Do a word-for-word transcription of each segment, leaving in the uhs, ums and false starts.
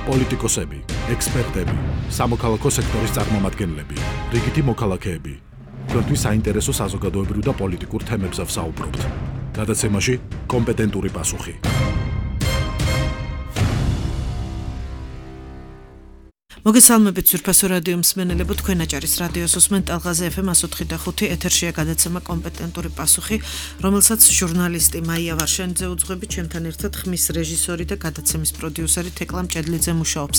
პოლიტიკოსები, ექსპერტები, სამოქალაქო სექტორის წარმომადგენლები, რიგითი მოქალაქეები. Თქვენთვის საინტერესო საზოგადოებრივ და პოლიტიკურ თემებზე ვსაუბრობთ. გადაცემაში კომპეტენტური პასუხი. მოგესალმებით ძვირფასო რადიო მსმენელებო, თქვენ აჭარის რადიოს უსმენთ ტალღაზე ეფ ემ one oh five point five ეთერშია გადაცემა კომპეტენტური პასუხი, რომელსაც ჟურნალისტი მაია ვარშენიძე უძღვებით, ჩემთან ერთად ხმის რეჟისორი და გადაცემის პროდიუსერი თეკლა მჭედლიძე მუშაობს.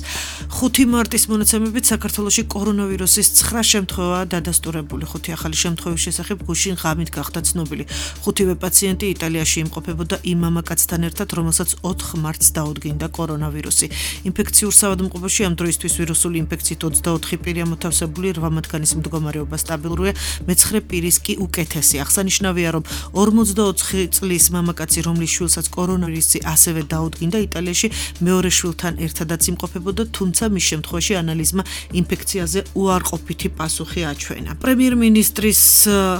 ხუთი მარტის მონაცემებით საქართველოში კორონავირუსის ცხრა შემთხვევაა დადასტურებული. ხუთი ახალი შემთხვევის შესახებ გუშინ ღამით გახდა ცნობილი. ხუთივე პაციენტი იტალიაში იმყოფებოდა იმ მამაკაცთან ერთად, რომელსაც ოთხ მარტს დაუდგინდა კორონავირუსი. ინფექციურ საავადმყოფოში ამ დროისთვის ვირუსული ინფექციით ოცდაოთხი პირია მოთავსებული, რვა მათგანის მდგომარეობა სტაბილურია, მეცხრე პირის კი უკეთესი. აღსანიშნავია, რომ ორმოცდაოთხი წლის მამაკაცი, რომლის შვილსაც კორონავირუსი ასევე დაუდგინდა, იტალიაში მეორე შვილთან ერთადაც იმყოფებოდა, თუმცა მის შემთხვევაში ანალიზმა ინფექციაზე უარყოფითი პასუხი აჩვენა. პრემიერ-მინისტრის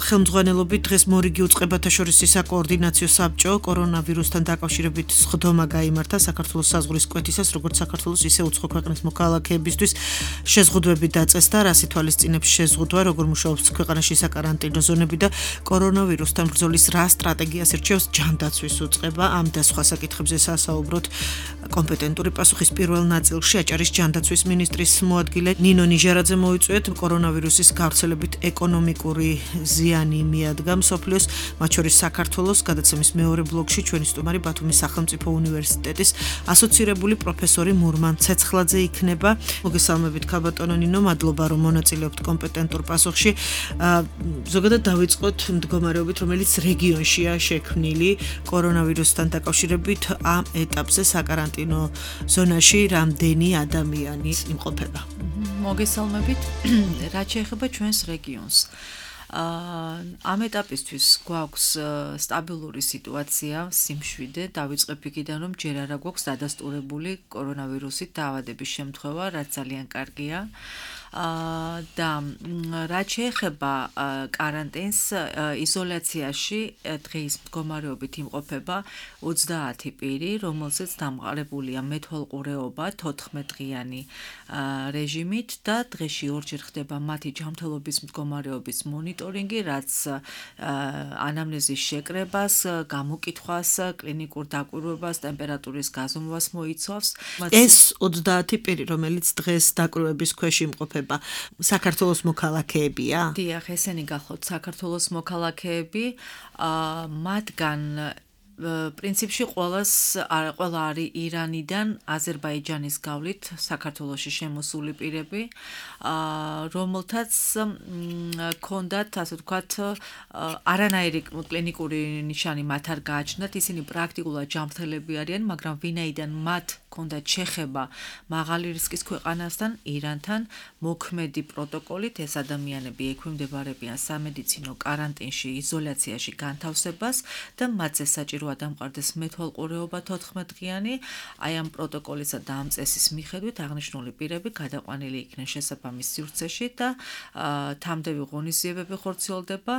ხელმძღვანელობით დღეს მორიგი უწყებათა შორის საკოორდინაციო საბჭო კორონავირუსთან დაკავშირებით სხდომა გაიმართა საქართველოს საზღვრის კვეთისას, როგორც საქართველოს ისე უცხო ქვეყნის მოქალაქეებისთვის შეზღუდვები დაწესდა, რას ითვალისწინებს შეზღუდვა, როგორ მუშაობს ქვეყანაში საკარანტინო ზონები და კორონავირუსთან ბრძოლის რა სტრატეგიას ირჩევს ჯანდაცვის უწყება. ამ და სხვა საკითხებზე სასაუბროთ კომპეტენტური პასუხის პირველ ნაწილში აჭარის ჯანდაცვის მინისტრის მოადგილე ნინო ნიჟარაძე მოიწვიეთ. კორონავირუსის გავრცელებით ეკონომიკური ზიანი მიადგა მსოფლიოს, მათ შორის საქართველოს. გადაცემის მეორე ბლოკში ჩვენი სტუმარი ბათუმის სახელმწიფო უნივერსიტეტის ასოცირებული პროფესორი მურმან ცეცხლაძე იქნება. მოგესალმებით ქაბატონო ნინო, მადლობა რომ მონაწილეობთ კომპეტენტურ პასუხში. ზოგადად დავიწყოთ მდგომარეობით, რომელიც რეგიონშია შექმნილი კორონავირუსთან დაკავშირებით. ამ ეტაპზე საკარანტინო ზონაში რამდენი ადამიანი იმყოფება? მოგესალმებით. რაც შეეხება ჩვენს რეგიონს, ამ ეტაპისთვის გვაქვს სტაბილური სიტუაცია, სიმშვიდე, დავიწყებ იქიდან, რომ ჯერ არა გვაქვს დადასტურებული კორონავირუსით დაავადების შემთხვევა, რაც ძალიან კარგია. და რაც შეეხება კარანტინს, იზოლაციაში დღის მდგომარეობით იმყოფება ოცდაათი პირი, რომელზეც დამყარებულია მეთვალყურეობა თოთხმეტ-დღიანი რეჟიმით და დღეში ორჯერ ხდება მათი ჯანმრთელობის მდგომარეობის მონიტორინგი, რაც ანამნეზის შეკრებას, გამოკითხვას, კლინიკურ დაკვირვებას, ტემპერატურის გაზომვას მოიცავს. ეს ოცდაათი პირი, რომელიც დღეს დაკვირვების ქვეშ იმყოფება, საქართველოს მოქალაქეებია? დიახ, ესენი გახლავთ საქართველოს მოქალაქეები, მათგან პრინციპში ყველას ყველა არის ირანიდან, აზერბაიჯანის გავლით საქართველოში შემოსული პირები, რომელთაც ქონდათ, ასე ვთქვათ, არანაირი კლინიკური ნიშანი მათ არ გააჩნდათ, ისინი პრაქტიკულად ჯანმრთელები არიან, მაგრამ ვინაიდან მათ ქონდათ შეხება მაღალი რისკის ქვეყანასთან, ირანთან, მოქმედი პროტოკოლით ეს ადამიანები ექვემდებარებიან სამედიცინო კარანტინში, იზოლაციაში განთავსებას და მათზე საჭირო დამყარდეს მეთვალყურეობა თოთხმეტ-დღიანი. აი ამ პროტოკოლისა და ამ წესის მიხედვით აღნიშნული პირები გადაყვანილი იქნენ შესაბამის სივრცეში და თამდევი ღონისძიებები ხორციელდება.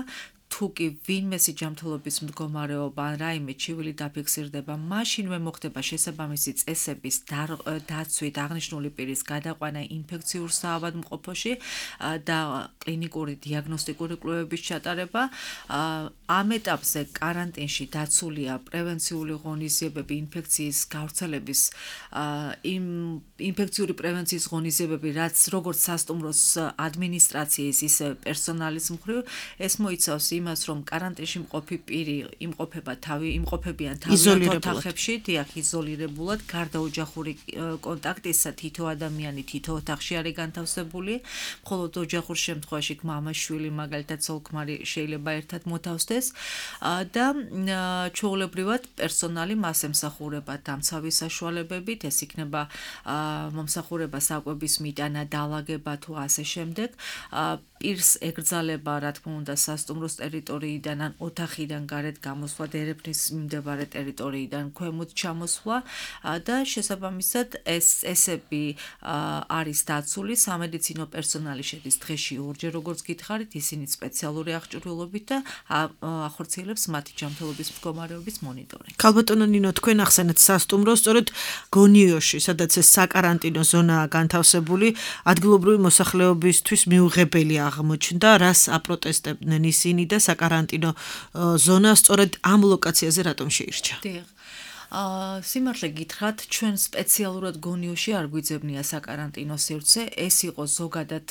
თუ კი ვინმესი ჯანმრთელობის მდგომარეობა ან რაიმე ჩივილი დაფიქსირდება, მაშინვე მოხდება შესაბამისი წესების დაცვით აღნიშნული პირის გადაყვანა ინფექციურ საავადმყოფოში და კლინიკური დიაგნოსტიკური კვლევების ჩატარება. ამ ეტაპზე კარანტინში დაცულია პრევენციული ღონისძიებები, ინფექციის გავრცელების იმ ინფექციური პრევენციის ღონისძიებები, რაც როგორც სასტუმროს ადმინისტრაციის, ისე პერსონალის მხრივ, ეს მოიცავს იმას, რომ კარანტინში მყოფი პირი იმყოფება თავი, იმყოფებიან თავიანთ ოთახებში, დიახ, იზოლირებულად, გარდა ოჯახური კონტაქტისა, თითო ადამიანი თითო ოთახში არის განთავსებული, მხოლოდ ოჯახურ შემთხვევაში მამა-შვილი, მაგალითად ცოლ-ქმარი შეიძლება ერთად მოთავსდეს და ჩვეულებრივად პერსონალი მას ემსახურება დამცავი საშუალებებით, ეს იქნება მომსახურება საკვების მიტანა, დალაგება თუ ასე შემდეგ. პირს ეკრძალება, რა თქმა უნდა, სასტუმროს ტერიტორიიდან ან ოთახიდან გარეთ გამოსვლა, დერეფნის მიმდებარე ტერიტორიიდან ქვემოთ ჩამოსვლა და შესაბამისად ეს წესები არის დაცული, სამედიცინო პერსონალი შედის დღეში ორჯერ, როგორც გითხარით, ისინი სპეციალური აღჭურვილობით და ახორციელებს მათი ჯანმრთელობის მდგომარეობის მონიტორინგს. ქალბატონო ნინო, თქვენ ახსენეთ სასტუმროს, სწორედ გონიოში, სადაც ეს საკარანტინო ზონაა განთავსებული, ადგილობრივი მოსახლეობისთვის მიუღებელი აღმოჩნდა, რას აპროტესტებდნენ ისინი და საკარანტინო ზონა სწორედ ამ ლოკაციაზე რატომ შეირჩა? აა სიმართლე გითხრათ, ჩვენ სპეციალურად გონიოში არ გვიძებნია საკარანტინო სივრცე, ეს იყო ზოგადად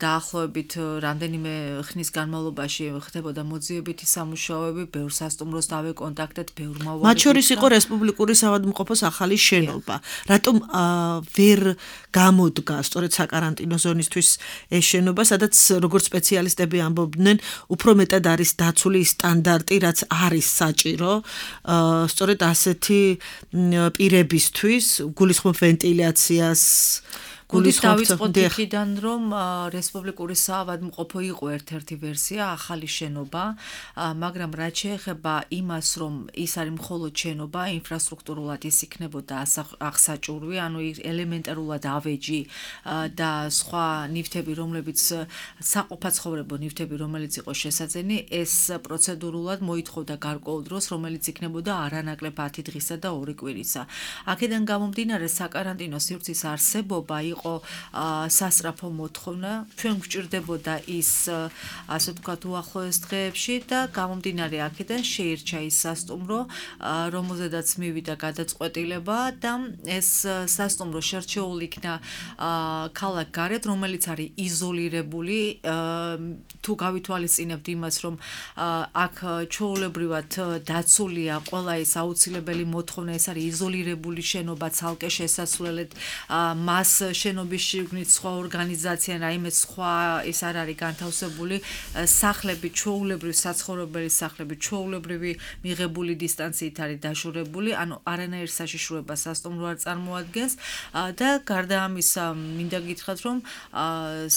დაახლოებით რამდენიმე ხნის განმავლობაში ხდებოდა მოძიებითი სამუშაოები, ბევრ სასტუმროს დავეკონტაქტეთ, ბევრ მოვალედ. მათ შორის იყო რესპუბლიკური საავადმყოფოს ახალი შენობა. რატომ ვერ გამოდგა სწორედ საკარანტინო ზონისთვის ეს შენობა, სადაც როგორც სპეციალისტები ამბობდნენ, უფრო მეტად არის დაცული სტანდარტი, რაც არის საჭირო, სწორედ ასე პირებისთვის, გულისხმობ ვენტილაციას, დავიწყოთ იქიდან, რომ რესპუბლიკური საავადმყოფო იყო ერთ-ერთი ვერსია, ახალი შენობა, მაგრამ რაც შეეხება იმას, რომ ის არის მხოლოდ შენობა, ინფრასტრუქტურულად ის იქნებოდა აღსაჭურვი, ანუ ელემენტარულად ავეჯი და სხვა ნივთები, რომლებიც საყოფაცხოვრებო ნივთები, რომელიც იყო შესაძენი, ეს პროცედურულად მოითხოვდა გარკვეულ დროს, რომელიც იქნებოდა არანაკლებ ათი დღისა და ორი კვირისა. აქედან გამომდინარე, საკარანტინო სივრცის არსებობა იყო სასწრაფო მოთხოვნა, ჩვენ გვჭირდებოდა ის, ასე ვთქვათ, უახლოეს დღეებში და გამომდინარე აქედან შეირჩა ის სასტუმრო, რომელზედაც მივიდა გადაწყვეტილება და ეს სასტუმრო შერჩეული იქნა ქალაქ გარეთ, რომელიც არის იზოლირებული, თუ გავითვალისწინებთ იმას, რომ აქ ჩვეულებრივად დაცულია ყველა ეს აუცილებელი მოთხოვნა, ეს არის იზოლირებული შენობა, ცალკე შესასვლელით, მას შენობის შიგნით სხვა ორგანიზაცია, რაიმე სხვა ის არ არის განთავსებული, სახლები, ჩვეულებრივი საცხოვრებელი სახლები, ჩვეულებრივი მიღებული დისტანციით არის დაშორებული, ანუ არანაირ საშიშროებას სასტუმრო არ წარმოადგენს და გარდა ამისა, მინდა გითხრათ, რომ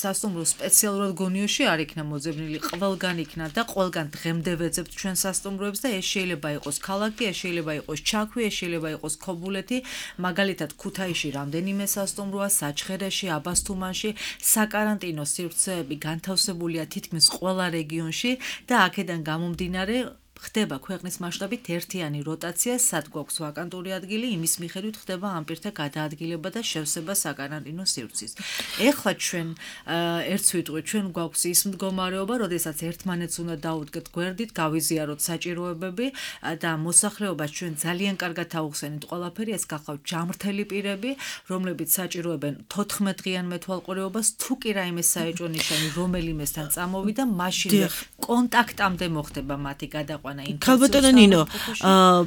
სასტუმრო სპეციალურად გონიოში არ იქნა მოძებნილი, ყველგან იქნა და ყველგან დღემდე ვეძებთ ჩვენ სასტუმროებს და ეს შეიძლება იყოს ქალაქი, ეს შეიძლება იყოს ჩაქვი, ეს შეიძლება იყოს ქობულეთი, მაგალითად ქუთაისში რამდენიმე სასტუმროა, საჩხერეში, აბასთუმანში, საკარანტინო სივრცეები განთავსებულია თითქმის ყველა რეგიონში და აქედან გამომდინარე ხდება ქვეყნის მასშტაბით ერთიანი როტაცია, სად გვაქვს ვაკანტური ადგილი, იმის მიხედვით ხდება ამ პირთა გადაადგილება და შევსება საკარანტინო სივრცის. ეხლა ჩვენ ერთს ვიტყვით, ჩვენ გვაქვს ის მდგომარეობა, როდესაც ერთმანეთს უნდა დაუდგეთ გვერდით, გავიზიაროთ საჭიროებები და მოსახლეობას ჩვენ ძალიან კარგად ავხსენით ყველაფერი, ეს გახლავთ ჯანმრთელი პირები, რომლებიც საჭიროებენ თოთხმეტ დღიან მეთვალყურეობას, თუ კი რაიმე საეჭვო ნიშანი რომელიმესთან წამოვიდა, მაშინვე კონტაქტამდე მოხდება მათი გადაყვანა. ქალბატონო ნინო,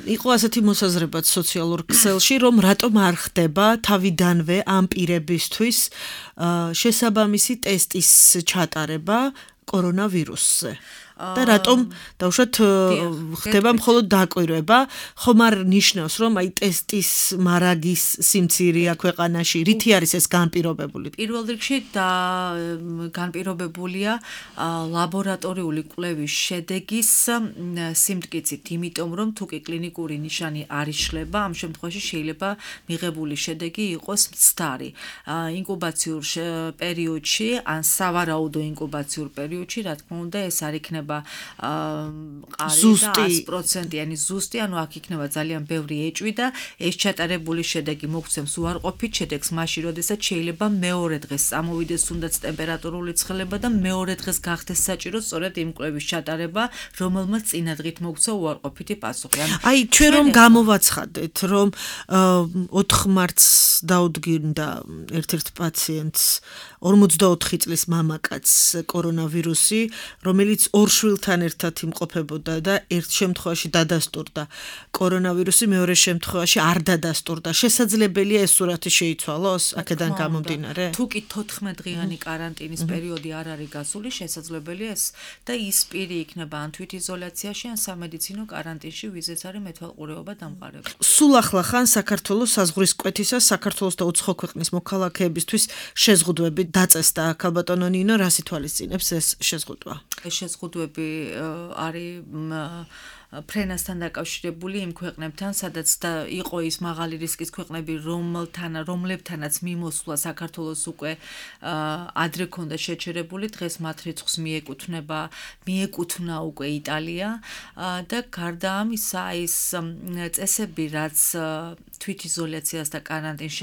იყო ასეთი მოსაზრებაც სოციალურ ქსელში, რომ რატომ არ ხდება თავიდანვე ამ პირებისთვის შესაბამისი ტესტის ჩატარება კორონავირუსზე. და რატომ დავუშვათ ხდება მხოლოდ დაკვირვება, ხომ არ ნიშნავს, რომ აი ტესტის მარაგის სიმცირეა ქვეყანაში, რითი არის ეს განპირობებული? პირველ რიგში და განპირობებულია ლაბორატორიული კვლევის შედეგის სიმტკიცით, იმიტომ რომ თუ კი კლინიკური ნიშანი არ იშლება, ამ შემთხვევაში შეიძლება მიღებული შედეგი იყოს მცდარი. ინკუბაციურ პერიოდში, ან სავარაუდო ინკუბაციურ პერიოდში, რა თქმა უნდა, ეს არ იქნება ყარი და ათი პროცენტიანი ზუსტი, ანუ აქ იქნება ძალიან ბევრი ეჭვი და ეს ჩატარებული შედეგი მოგცემს უარყოფით შედეგს მაშინ, როდესაც შეიძლება მეორე დღეს წამოვიდეს თუნდაც ტემპერატურული ცხელება და მეორე დღეს გახდეს საჭირო სწორედ იმ კვლევის ჩატარება, რომელმაც წინა დღით მოგცა უარყოფითი პასუხი. აი, ჩვენ რომ გამოვაცხადეთ, რომ ოთხ მარტს დაუდგინდა ერთ-ერთ პაციენტს ორმოცდაოთხი წლის მამაკაცს კორონავირუსი, რომელიც ორ შვილთან ერთად იმყოფებოდა და ერთ შემთხვევაში დადასტურდა კორონავირუსი, მეორე შემთხვევაში არ დადასტურდა. შესაძლებელია ეს სურათი შეიცვალოს აქედან გამომდინარე? თუ კი თოთხმეტ დღიანი კარანტინის პერიოდი არ არის გასული, შესაძლებელია ეს და ის პირი იქნება ან თვითიზოლაციაში, ან სამედიცინო კარანტინში, ვიზეც არის მეთვალყურეობა დამყარებული. სულ ახლა ხან საქართველოს საზღვრის კვეთისას საქართველოს და უცხო ქვეყნის მოქალაქეებისთვის შეზღუდვები დაწესდა. ქალბატონო ნინო, რას ითვალისწინებს ეს შეზღუდვა? ეს შეზღუდვები არის ფრენასთან დაკავშირებული იმ ქვეყნებთან, სადაც და იყო ის მაღალი რისკის ქვეყნები, რომელთან რომლებთანაც მიმოსვლა საქართველოს უკვე ადრე ქონდა შეჩერებული, დღეს მათ რიცხვს მიეკუთვნება, მიეკუთვნა უკვე იტალია და გარდა ამისა ის წესები, რაც თვითიზოლაციას და კარანტინს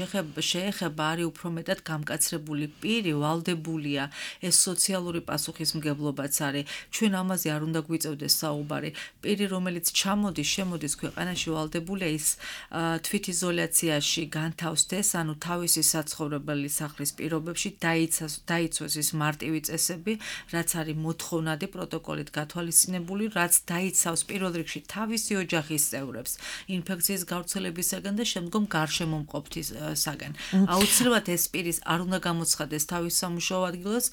შეეხება, არის უფრო მეტად გამკაცრებული. პირი ვალდებულია, ეს სოციალური პასუხისმგებლობაც არის. ჩვენ ამაზე არ უნდა გვიწევდეს საუბარი. პირი რომელიც ჩამოდის, შემოდის ქვეყანაში ვალდებულია ის თვითიზოლაციაში განთავსდეს, ანუ თავისი საცხოვრებელი სახლის პირობებში დაიცვეს ის მარტივი წესები, რაც არის მოთხოვნადი პროტოკოლით გათვალისწინებული, რაც დაიცავს პირველ რიგში თავისი ოჯახის წევრებს ინფექციის გავრცელებისაგან და შემდგომ გარშემომყოფთისაგან. აუცილებლად ეს პირის არ უნდა გამოცხადდეს თავის სამუშაო ადგილას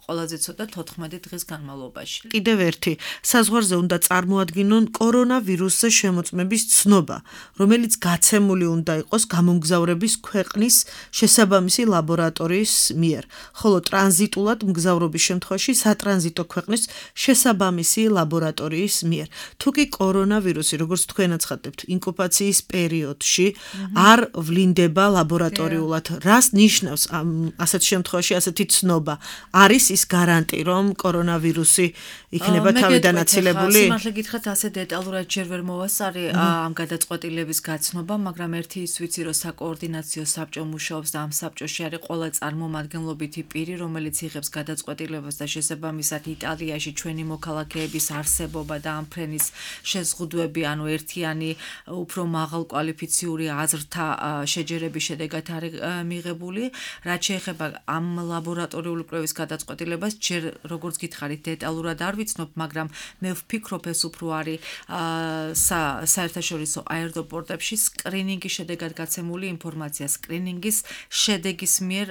ყველაზე ცოტა თოთხმეტი დღის განმავლობაში. კიდევ ერთი, საზღვარზე უნდა წარმოადგინონ კორონავირუსზე შემოწმების ცნობა, რომელიც გაცემული უნდა იყოს გამომგზავრების ქვეყნის შესაბამისი ლაბორატორიის მიერ, ხოლო ტრანზიტულად მგზავრობის შემთხვევაში სატრანზიტო ქვეყნის შესაბამისი ლაბორატორიის მიერ. თუ კი კორონავირუსი, როგორც თქვენ აცხადებთ, ინკუბაციის პერიოდში არ ვლინდება ლაბორატორიულად, რას ნიშნავს ასეთ შემთხვევაში ასეთი ცნობა? არის ის გარანტი, რომ კორონავირუსი იქნება თავიდან აცილებული? სიმართლე გითხრათ, ასე დეტალურად ჯერ ვერ მოვასწარი ამ გადაწყვეტილების გაცნობა, მაგრამ ერთი ის ვიცი, რომ საკოორდინაციო საბჭო მუშაობს და ამ საბჭოში არის ყველა წარმომადგენლობითი პირი, რომელიც იღებს გადაწყვეტილებას და შესაბამისად იტალიაში ჩვენი მოქალაქეების არსებობა და ამ ფრენის შეზღუდვები, ანუ ერთიანი უფრო მაღალკვალიფიციური აზრთა შეჯერების შედეგად არის მიღებული. რაც შეეხება ამ ლაბორატორიული კვლევის გადაწყვეტილებას, ჯერ როგორც გითხარით, დეტალურად არ ვიცნობ, მაგრამ მე ვფიქრობ, ეს უფრო არის საერთაშორისო აეროპორტებში სკრინინგის შედეგად გაცემული ინფორმაცია, სკრინინგის შედეგის მიერ,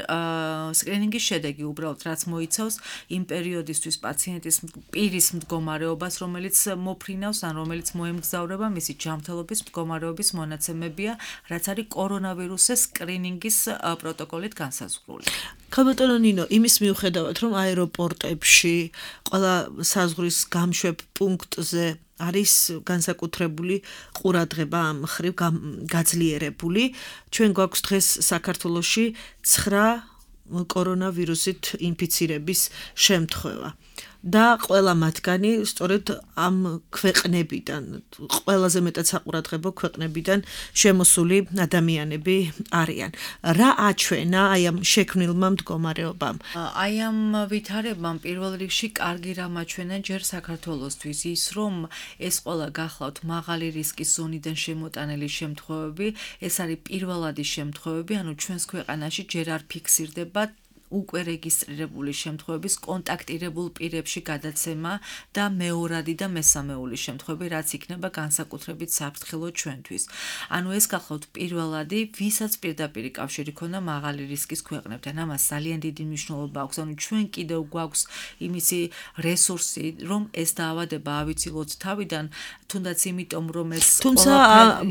სკრინინგის შედეგი უბრალოდ რაც მოიცავს იმ პერიოდისთვის პაციენტის პირის მდგომარეობას, რომელიც მოფრინავს ან რომელიც მოემგზავრება, მისი ჯანმრთელობის მდგომარეობის მონაცემებია, რაც არის კორონავირუსის სკრინინგის პროტოკოლით განსაზღვრული. ქალბატონო ნინო, იმის მიუხედავად, რომ აეროპორტებში ყველა საზღვრის გამშვებ პუნქტზე არის განსაკუთრებული ყურადღება ამ მხრივ გაძლიერებული, ჩვენ გვაქვს დღეს საქართველოში ცხრა კორონავირუსით ინფიცირების შემთხვევა. და ყველა მათგანი სწორედ ამ ქვეყნებიდან, ყველაზე მეტად საყურადღებო ქვეყნებიდან შემოსული ადამიანები არიან. რა აჩვენა აი ამ შექმნილმა მდგომარეობამ? აი ამ ვითარებამ პირველ რიგში კარგი რამ აჩვენა ჯერ საქართველოსთვის ის, რომ ეს ყველა გახლავთ მაღალი რისკის ზონიდან შემოტანილი შემთხვევები, ეს არის პირველადი შემთხვევები, ანუ ჩვენს ქვეყანაში ჯერ არ ფიქსირდება უკვე რეგისტრირებული შემთხვევების კონტაქტირებულ პირებში გადაცემა და მეორადი და მესამეული შემთხვევები, რაც იქნება განსაკუთრებით საფრთხილო ჩვენთვის. ანუ ეს გახლავთ პირველადი, ვისაც პირდაპირი კავშირი ქონდა მაღალი რისკის ქვეყნებთან. ამას ძალიან დიდი მნიშვნელობა აქვს, ანუ ჩვენ კიდევ გვაქვს იმისი რესურსი, რომ ეს დაავადება ავიცილოთ თავიდან, თუნდაც იმიტომ, რომ ეს თუმცა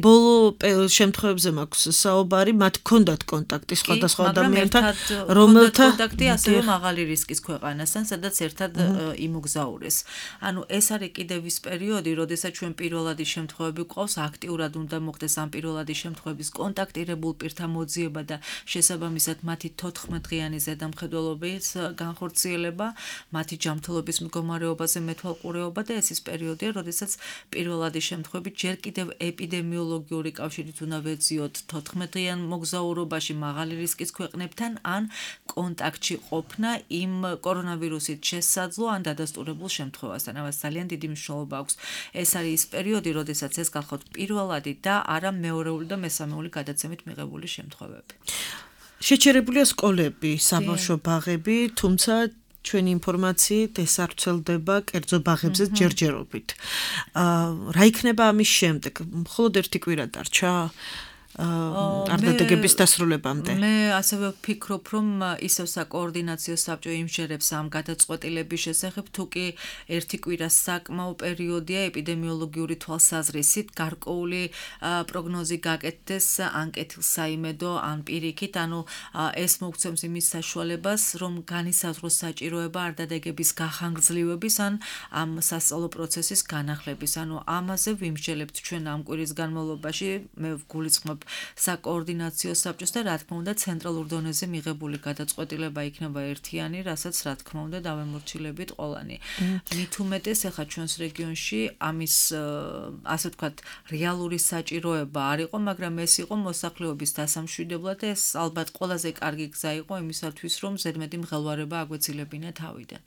ბოლო შემთხვევებზე მაქვს საუბარი, მათ ჰქონდათ კონტაქტი სხვადასხვა ადამიანთან, რომელთა კონტაქტი ასევე მაღალი რისკის ქვეყანასთან, სადაც ერთად იმოგზაურეს. ანუ ეს არის კიდევ ის პერიოდი, როდესაც ჩვენ პირველადი შემთხვევები გვყავს, აქტიურად უნდა მოხდეს ამ პირველადი შემთხვევების კონტაქტირებულ პირთა მოძიება და შესაბამისად მათი თოთხმეტ დღიანი ზედამხედველობის განხორციელება, მათი ჯანმრთელობის მდგომარეობაზე მეთვალყურეობა და ეს ის პერიოდია, როდესაც პირველადი შემთხვევები ჯერ კიდევ ეპიდემიოლოგიური კავშირით უნდა ვეძიოთ თოთხმეტ დღიან მოგზაურობაში მაღალი რისკის ქვეყნებთან ან კონტაქტში ყოფნა იმ კორონავირუსით შესაძლო ან დადასტურებულ შემთხვევასთან. ამას ძალიან დიდი მნიშვნელობა აქვს. ეს არის ის პერიოდი, როდესაც ეს გახლავთ პირველადი და არა მეორეული და მესამეული გადაცემით მიღებული შემთხვევები. შეჩერებულია სკოლები, საბავშვო ბაღები, თუმცა ჩვენი ინფორმაციით ეს არ ვრცელდება კერძო ბაღებზე ჯერჯერობით. რა იქნება ამის შემდეგ? მხოლოდ ერთი კვირა დარჩა? არდადეგების დასრულებამდე. მე ასევე ვფიქრობ, რომ ისევ საკოორდინაციო საბჭო იმჟერებს ამ გადაწყვეტილების შესახებ, თუ კი ერთი კვირა საკმაო პერიოდია ეპიდემიოლოგიური თვალსაზრისით, გარკვეული პროგნოზი გაკეთდეს ან კეთილსაიმედო, ან პირიქით, ანუ ეს მოგცემს იმის საშუალებას, რომ განისაზღვროს საჭიროება არდადეგების გახანგრძლივების ან ამ სასწავლო პროცესის განახლების. ანუ ამაზე ვიმსჯელებთ ჩვენ ამ კვირის განმავლობაში, მე ვგულისხმობ საკოორდინაციო საბჭოს და რა თქმა უნდა ცენტრალურ დონეზე მიღებული გადაწყვეტილება იქნება ერთიანი, რასაც რა თქმა უნდა დავემორჩილებით ყველანი. მით უმეტეს ახლა ჩვენს რეგიონში ამის ასე ვთქვათ რეალური საჭიროება არ იყო, მაგრამ ეს იყო მოსახლეობის დასამშვიდებლად და ეს ალბათ ყველაზე კარგი გზა იყო იმისათვის, რომ ზედმეტი მღელვარება აგვეცილებინა თავიდან.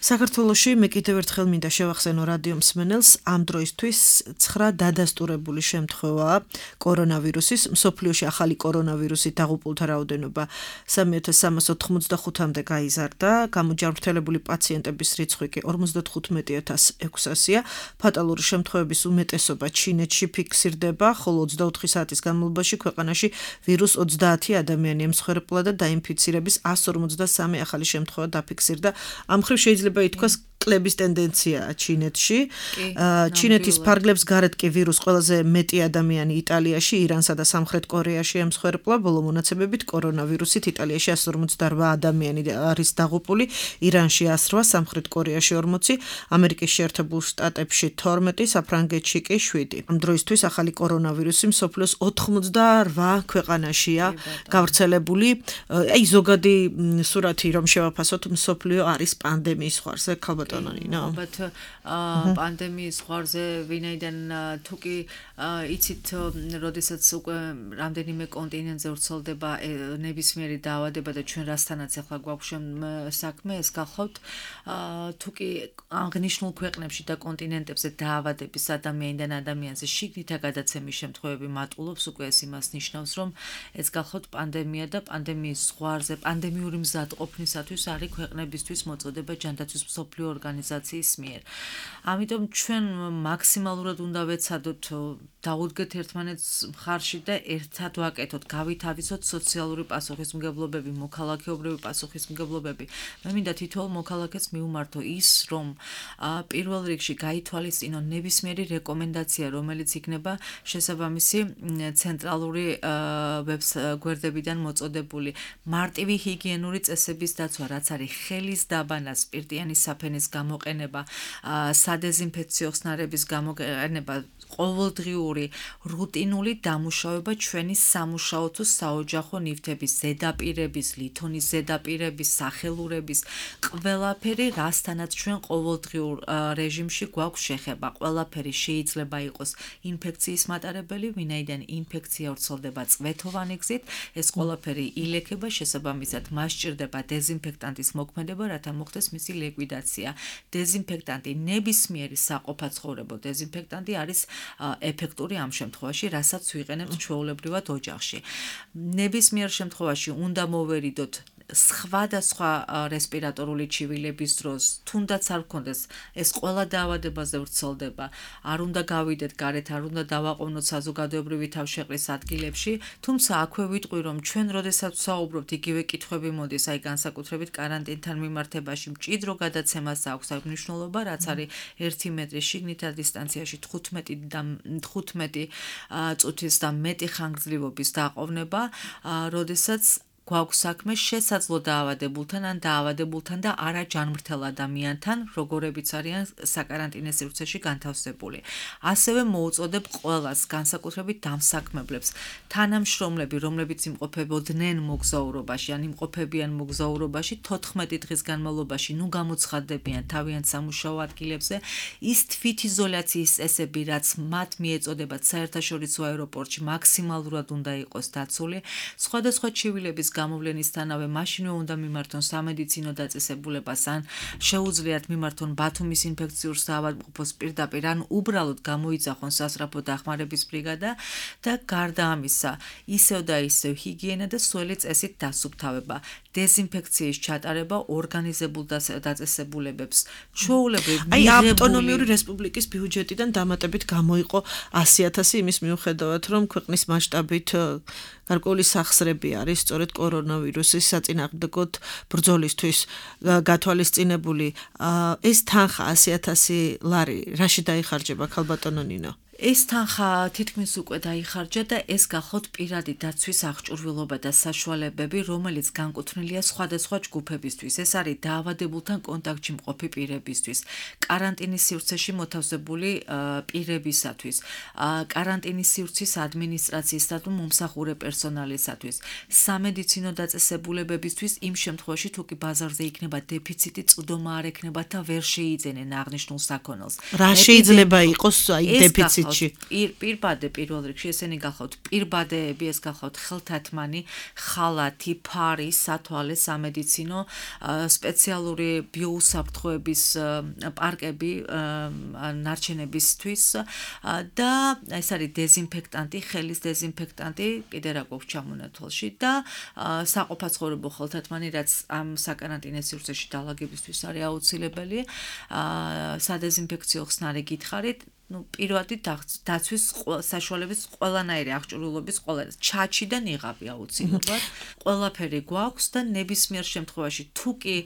საქართველოში მე კიდევ ერთხელ მინდა შევახსენო რადიო მსმენელს, ამ დროისთვის ცხრა დადასტურებული შემთხვევაა კორონავირუსის. მსოფლიოში ახალი კორონავირუსით დაღუპულთა რაოდენობა სამი ათას სამას ოთხმოცდახუთამდე გაიზარდა, გამოჯანმრთელებული პაციენტების რიცხვი კი ორმოცდათხუთმეტი ათას ექვსასია. ფატალური შემთხვევების უმეტესობა ჩინეთში ფიქსირდება, ხოლო ოცდაოთხი საათის განმავლობაში ქვეყანაში ვირუს ოცდაათი ადამიანი ემსხვერპლა და დაინფიცირების ასი ორმოცდასამი ახალი შემთხვევა დაფიქსირდა. ამ მხრივ შეიძლება ითქვას კლების ტენდენციაა ჩინეთში. ჩინეთის ფარგლებს გარეთ კი ვირუს ყველაზე მეტი ადამიანი იტალიაში, ირანსა და სამხრეთ კორეაში ემსხვერპლა. ბოლო მონაცემებით კორონავირუსით იტალიაში ასი ორმოცდაორვა ადამიანი არის დაღუპული, ირანში ასი რვა, სამხრეთ კორეაში ორმოცი, ამერიკის შეერთებულ შტატებში თორმეტი, საფრანგეთში კი შვიდი. ამ დროისთვის ახალი კორონავირუსი მსოფლიოს ოთხმოცდაორვა ქვეყანაშია გავრცელებული. აი ზოგადი სურათი რომ შევაფასოთ, მსოფლიო არის პანდემიის ზღვარზე, ქალბატონინო. ალბათ პანდემიის ზღვარზე ვინაიდან თუ კი იცით, როდესაც უკვე რამდენიმე კონტინენტზე ვრცელდება ნებისმიერი დაავადება და ჩვენ რასთანაც ახლა გვაქვს საქმე, ეს გახავთ, თუ კი აღნიშნულ ქვეყნებში და კონტინენტებზე დაავადების ადამიანიდან ადამიანზე შიგნითა გადაცემის შემთხვევები მატულობს, უკვე ეს იმას ნიშნავს, რომ ეს გახავთ პანდემია და პანდემიის ზღვარზე, პანდემიური მზადყოფნისათვის არის ქვეყნებისთვის მოწოდება ჯანდაცვის მსოფლიო ორგანიზაციის მიერ. ამიტომ ჩვენ მაქსიმალურად უნდა ვეცადოთ დაუდგეთ ერთმანეთს მხარში და ერთად ვაკეთოთ, გავითავისოთ სოციალური პასუხისმგებლობები, მოქალაქეობრივი პასუხისმგებლობები. მე მინდა თითოეულ მოქალაქეს მიუმართო ის, რომ პირველ რიგში გაითვალისწინონ ნებისმიერი რეკომენდაცია, რომელიც იქნება შესაბამისი ცენტრალური ვებგვერდებიდან მოწოდებული. მარტივი ჰიგიენური წესების დაცვა, რაც არის ხელის დაბანა, სპირტიანი საფენის გამოყენება, სადეზინფექციო ხსნარების გამოყენება, ყოველდღიური რუტინული დამუშავება ჩვენი სამუშაო თუ საოჯახო ნივთების, ზედაპირების, ლითონის ზედაპირების, სახელურების, ყველაფერი, რასთანაც ჩვენ ყოველდღიურ რეჟიმში გვაქვს შეხება. ყველაფერი შეიძლება იყოს ინფექციის მატარებელი, ვინაიდან ინფექცია ვრცელდება წვეთოვანი გზით, ეს ყველაფერი ილექება, შესაბამისად მას სჭირდება დეზინფექტანტის მოქმედება, რათა მოხდეს მისი ლიკვიდაცია. დეზინფექტანტი, ნებისმიერი საყოფაცხოვრებო დეზინფექტანტი არის ეფექტური ამ შემთხვევაში, რასაც ვიყენებთ ჩვეულებრივად ოჯახში. ნებისმიერ შემთხვევაში უნდა მოვერიდოთ სხვადასხვა რესპირატორული ჩივილების დროს, თუნდაც არ გქონდეს, ეს ყველა დაავადებაზე ვრცელდება. არ უნდა გავიდეთ გარეთ, არ უნდა დავაყოვნოთ საზოგადოებრივი თავშეყრის ადგილებში, თუმცა აქვე ვიტყვი, რომ ჩვენ როდესაც ვსაუბრობთ, იგივე კითხვები მოდის, აი განსაკუთრებით კარანტინთან მიმართებაში, მჭიდრო გადაცემას აქვს აი მნიშვნელობა, რაც არის ერთი მეტრი შიგნითა დისტანციაში თხუთმეტი წუთის და მეტი ხანგრძლივობის დაყოვნება, როდესაც გვაქვს საქმე შესაძლო დაავადებულთან ან დაავადებულთან და არა ჯანმრთელ ადამიანთან, როგორებიც არიან საკარანტინო სივრცეში განთავსებული. ასევე მოუწოდებ ყველას, განსაკუთრებით დამსაქმებლებს, თანამშრომლები, რომლებიც იმყოფებოდნენ მოგზაურობაში, ან იმყოფებიან მოგზაურობაში, თოთხმეტი დღის განმავლობაში, ნუ გამოცხადდებიან თავიანთ სამუშაო ადგილებზე, ის თვითიზოლაციის წესები, რაც მათ მიეწოდებათ საერთაშორისო აეროპორტში, მაქსიმალურად უნდა იყოს დაცული. სხვადასხვა ჩივილების გამოვლენისთანავე მაშინვე უნდა მიმართონ სამედიცინო დაწესებულებას ან შეუძლიათ მიმართონ ბათუმის ინფექციურ საავადმყოფოს პირდაპირ ან უბრალოდ გამოიძახონ სასწრაფო დახმარების ბრიგადა და გარდა ამისა ისევ და ისევ ჰიგიენა და სველი წესით დასუფთავება დეზინფექციის ჩატარება ორგანიზებულ დაწესებულებებს ჩვეულებრივ აი ავტონომიური რესპუბლიკის ბიუჯეტიდან დამატებით გამოიყო ასი ათასი იმის მიუხედავად რომ ქვეყნის მასშტაბით გარკვეული სახსრები არის სწორედ კორონავირუსის საწინააღმდეგოდ ბრძოლისთვის გათვალისწინებული ეს თანხა ასი ათასი ლარი რაში დაიხარჯება ქალბატონო ნინო ეს თანხა თითქმის უკვე დაიხარჯა და ეს გახლავთ პირადი დაცვის აღჭურვილობა და საშუალებები, რომელიც განკუთვნილია სხვადასხვა ჯგუფებისთვის. ეს არის დაავადებულთან კონტაქტში მყოფი პირებისთვის, კარანტინის სივრცეში მოთავსებული პირებისათვის, კარანტინის სივრცის ადმინისტრაციისა და მომსახურე პერსონალისათვის, სამედიცინო დაწესებულებებისთვის იმ შემთხვევაში თუ კი ბაზარზე იქნება დეფიციტი, წვდომა არ ექნება და ვერ შეიძენენ აღნიშნულ საქონელს. რა შეიძლება იყოს აი დეფიციტი პირბადე პირველ რიგში ესენი გახლავთ პირბადეები ეს გახლავთ ხელთათმანი ხალათი ფარი სათვალე სამედიცინო სპეციალური ბიოუსაფრთხოების პარკები ნარჩენებისთვის და ეს არის დეზინფექტანტი ხელის დეზინფექტანტი კიდე რა გვაქვს ჩამონათვალში და საყოფაცხოვრებო ხელთათმანი რაც ამ საკარანტინო სივრცეში დალაგებისთვის არის აუცილებელი სადეზინფექციო ხსნარი გითხარით ну პირველი დაცვის საშუალების ყველანაირი აღჭურვილობის ყველა ჩაჩი და ნიღაბი აუცილებლად ყველაფერი გვაქვს და ნებისმიერ შემთხვევაში თუ კი